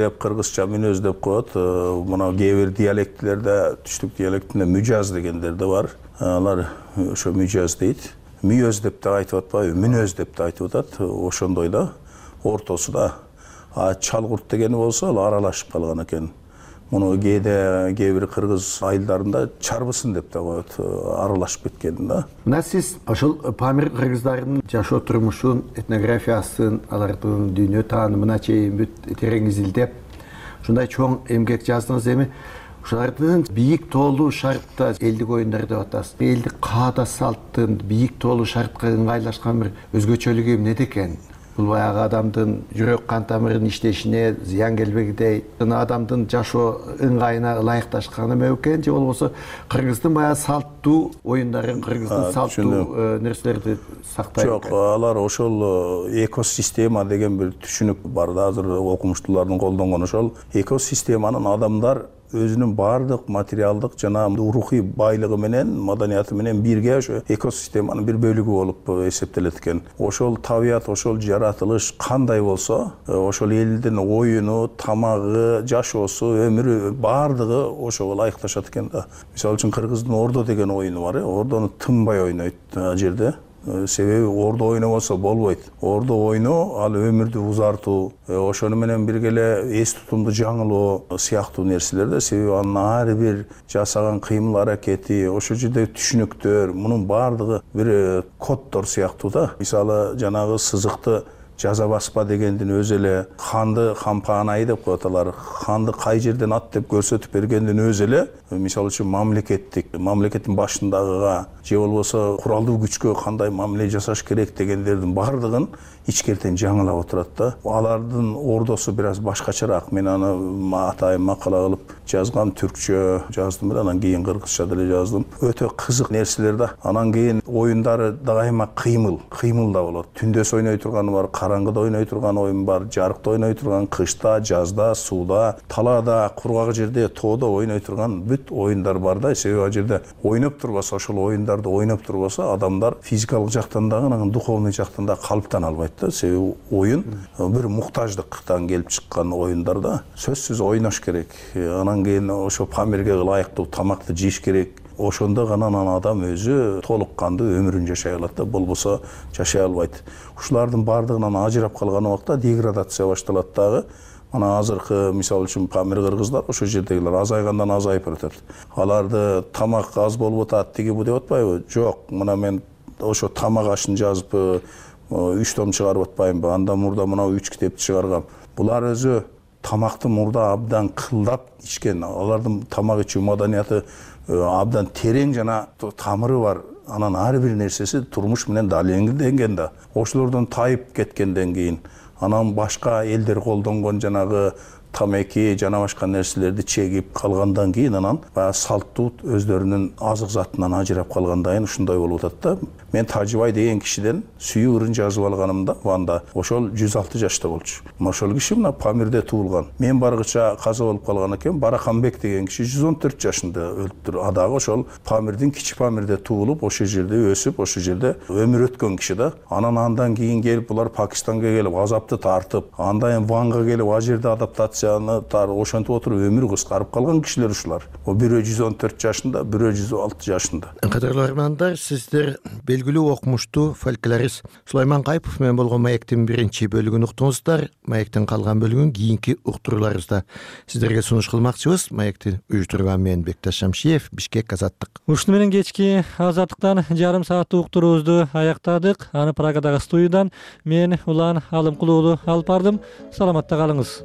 деп, кыргызча мүнөз деп коет. Мына кээ бир диалектилерде, түштүк диалектинде мүжаз дегендер да бар. Алар ошо мүжаз дейт. Мүөз деп да айтып атпайбы, мүнөз деп да айтып атат. Ошондой да, ортосуда. Чалгурт дегени болсо ал аралашып калган экен. Муну кээ бир кыргыз айылдарында чарбысын деп да коет, аралашып кеткен да. Мына сиз ошол Памир кыргыздарынын жашоо турмушун, этнографиясын, алардын дүйнө таанымына чейин бүт терең изилдеп, ушундай чоң эмгек жаздыңыз. Эми ушулардын бийик тоолуу шартта элдик оюндар деп атасыз. Элдик каада салттын бийик тоолуу шартка ыңгайлашкан бир өзгөчөлүгү эмнеде экен? Бул баягы адамдын жүрөк кан тамырынын иштешине зыян келбегидей, жана адамдын жашоо ыңгайына ылайыкташканы ме экен, же болбосо кыргыздын баягы салттуу оюндарын, кыргыздын салттуу нерселерди сактайт? Жок, алар ошол экосистема деген бир түшүнүк бар да, азыр окумуштуулардын колдонгон ошол экосистеманын адамдар өзүнүн баардык материалдык жана рухий байлыгы менен, маданияты менен бирге ошо экосистеманын бир бөлүгү болуп эсептелет экен. Ошол табият, ошол жаратылыш кандай болсо, ошол элдин оюну, тамагы, жашоосу, өмүрү баардыгы ошого ылайыкташат экен да. Мисалы үчүн кыргыздын ордо деген оюну бар, ордону тынбай ойнойт ал жерде. Себеби ордо ойнобосо болбойт. Ордо ойноо ал өмүрдү узартуу, ошону менен бирге эле эс тутумду жаңылоо сыяктуу нерселер да. Себеби анын ар бир жасаган кыймыл аракети, ошол жерде түшүнүктөр, мунун баардыгы бир коддор сыяктуу да. Мисалы жанагы сызыкты жаза баспа дегендин өзү эле, ханды кампаанай деп коет алар. Ханды кай жерден ат деп көрсөтүп бергендин өзү эле, мисалы үчүн мамлекеттин башындагыга же болбосо куралдуу күчкө кандай мамиле жасаш керек дегендердин баардыгын ичкертен жаңылап отурат да. Алардын ордосу бир аз башкачараак. Мен аны атайын макала кылып жазгам, түркчө жаздым, анан кийин кыргызча деле жаздым. Өтө кызык нерселер да. Анан кийин оюндары дайыма кыймыл да болот. Түндөс ойной турганы бар, караңгыда ойной турган оюн бар, жарыкта ойной турган, кышта, жазда, сууда, талаада, кургак жерде, тоодо ойной турган бүт оюндар бар да. Себеби ал жерде ойноп турбаса, ошол оюндарды ойноп турбаса, адамдар физикалык жактан дагы, анан духовный жактан да калыптан албайт да. Себеби оюн бир муктаждыктан келип чыккан оюндар да. Сөзсүз ойнош керек. Анан кийин ошо Памирге ылайыктуу тамакты жейиш керек. Ошондо гана адам өзү толук кандуу өмүрүн жашай алат да, болбосо жашай албайт. Ушулардын баардыгынан ажырап калган убакта деградация башталат дагы. Мына азыркы мисалы үчүн Памир кыргыздар ошол жердегилер азайгандан азайып баратат. Аларды тамак аз болуп атат, тиги бу деп атпайбы? Жок, мына мен ошо тамак ашын жазып 3 том чыгарып атпаймынбы? Андан мурда мына 3 китепти чыгаргам. Булар өзү тамакты мурда абдан кылдап ичкен. Алардын тамак ичүү маданияты абдан терең жана тамыры бар. Анан ар бир нерсеси турмуш менен далилденген да. Ошолордон тайып кеткенден кийин анан башка элдер колдонгон жанагы тамеки жана башка нерселерди чегип калгандан кийин анан баягы салттуу өздөрүнүн азык затынан ажырап калгандайын ушундай болуп атат да. Мен Тажыбай деген кишиден сүйүү ырын жазып алганымда Ванда ошол 106 жашта болчу. Ошол киши мына Памирде туулган. Мен баргыча каза болуп калган экен. Бараканбек деген киши 114 жашында өлүптүр. Адагы ошол Памирдин Кичи Памирде туулуп, ошол жерде өсүп, ошол жерде өмүр өткөн киши да. Андан кийин келип булар Пакистанга келип азапты тартып, андан Ванга келип ал жерде адаптацияны ошентип отуруп өмүрү кыскарып калган кишилер ушулар. Бирөө 114 жашында, бирөө 106 жашында. Кадырлуу армандар, сиздер белгилүү окумуштуу фольклорист Сулайман Кайыпов менен болгон маектин биринчи бөлүгүн уктуңуздар. Маектин калган бөлүгүн кийинки уктурууларыбызда сиздерге сунуш кылмакчыбыз. Маекти уюштурган мен Бекташ Шамшиев, Бишкек, Азаттык. Ушуну менен кечки Азаттыктан жарым сааттык уктуруубузду аяктадык. Аны Прагадагы студиядан мен Улан Алымкулуулу алып бардым. Саламатта калыңыз.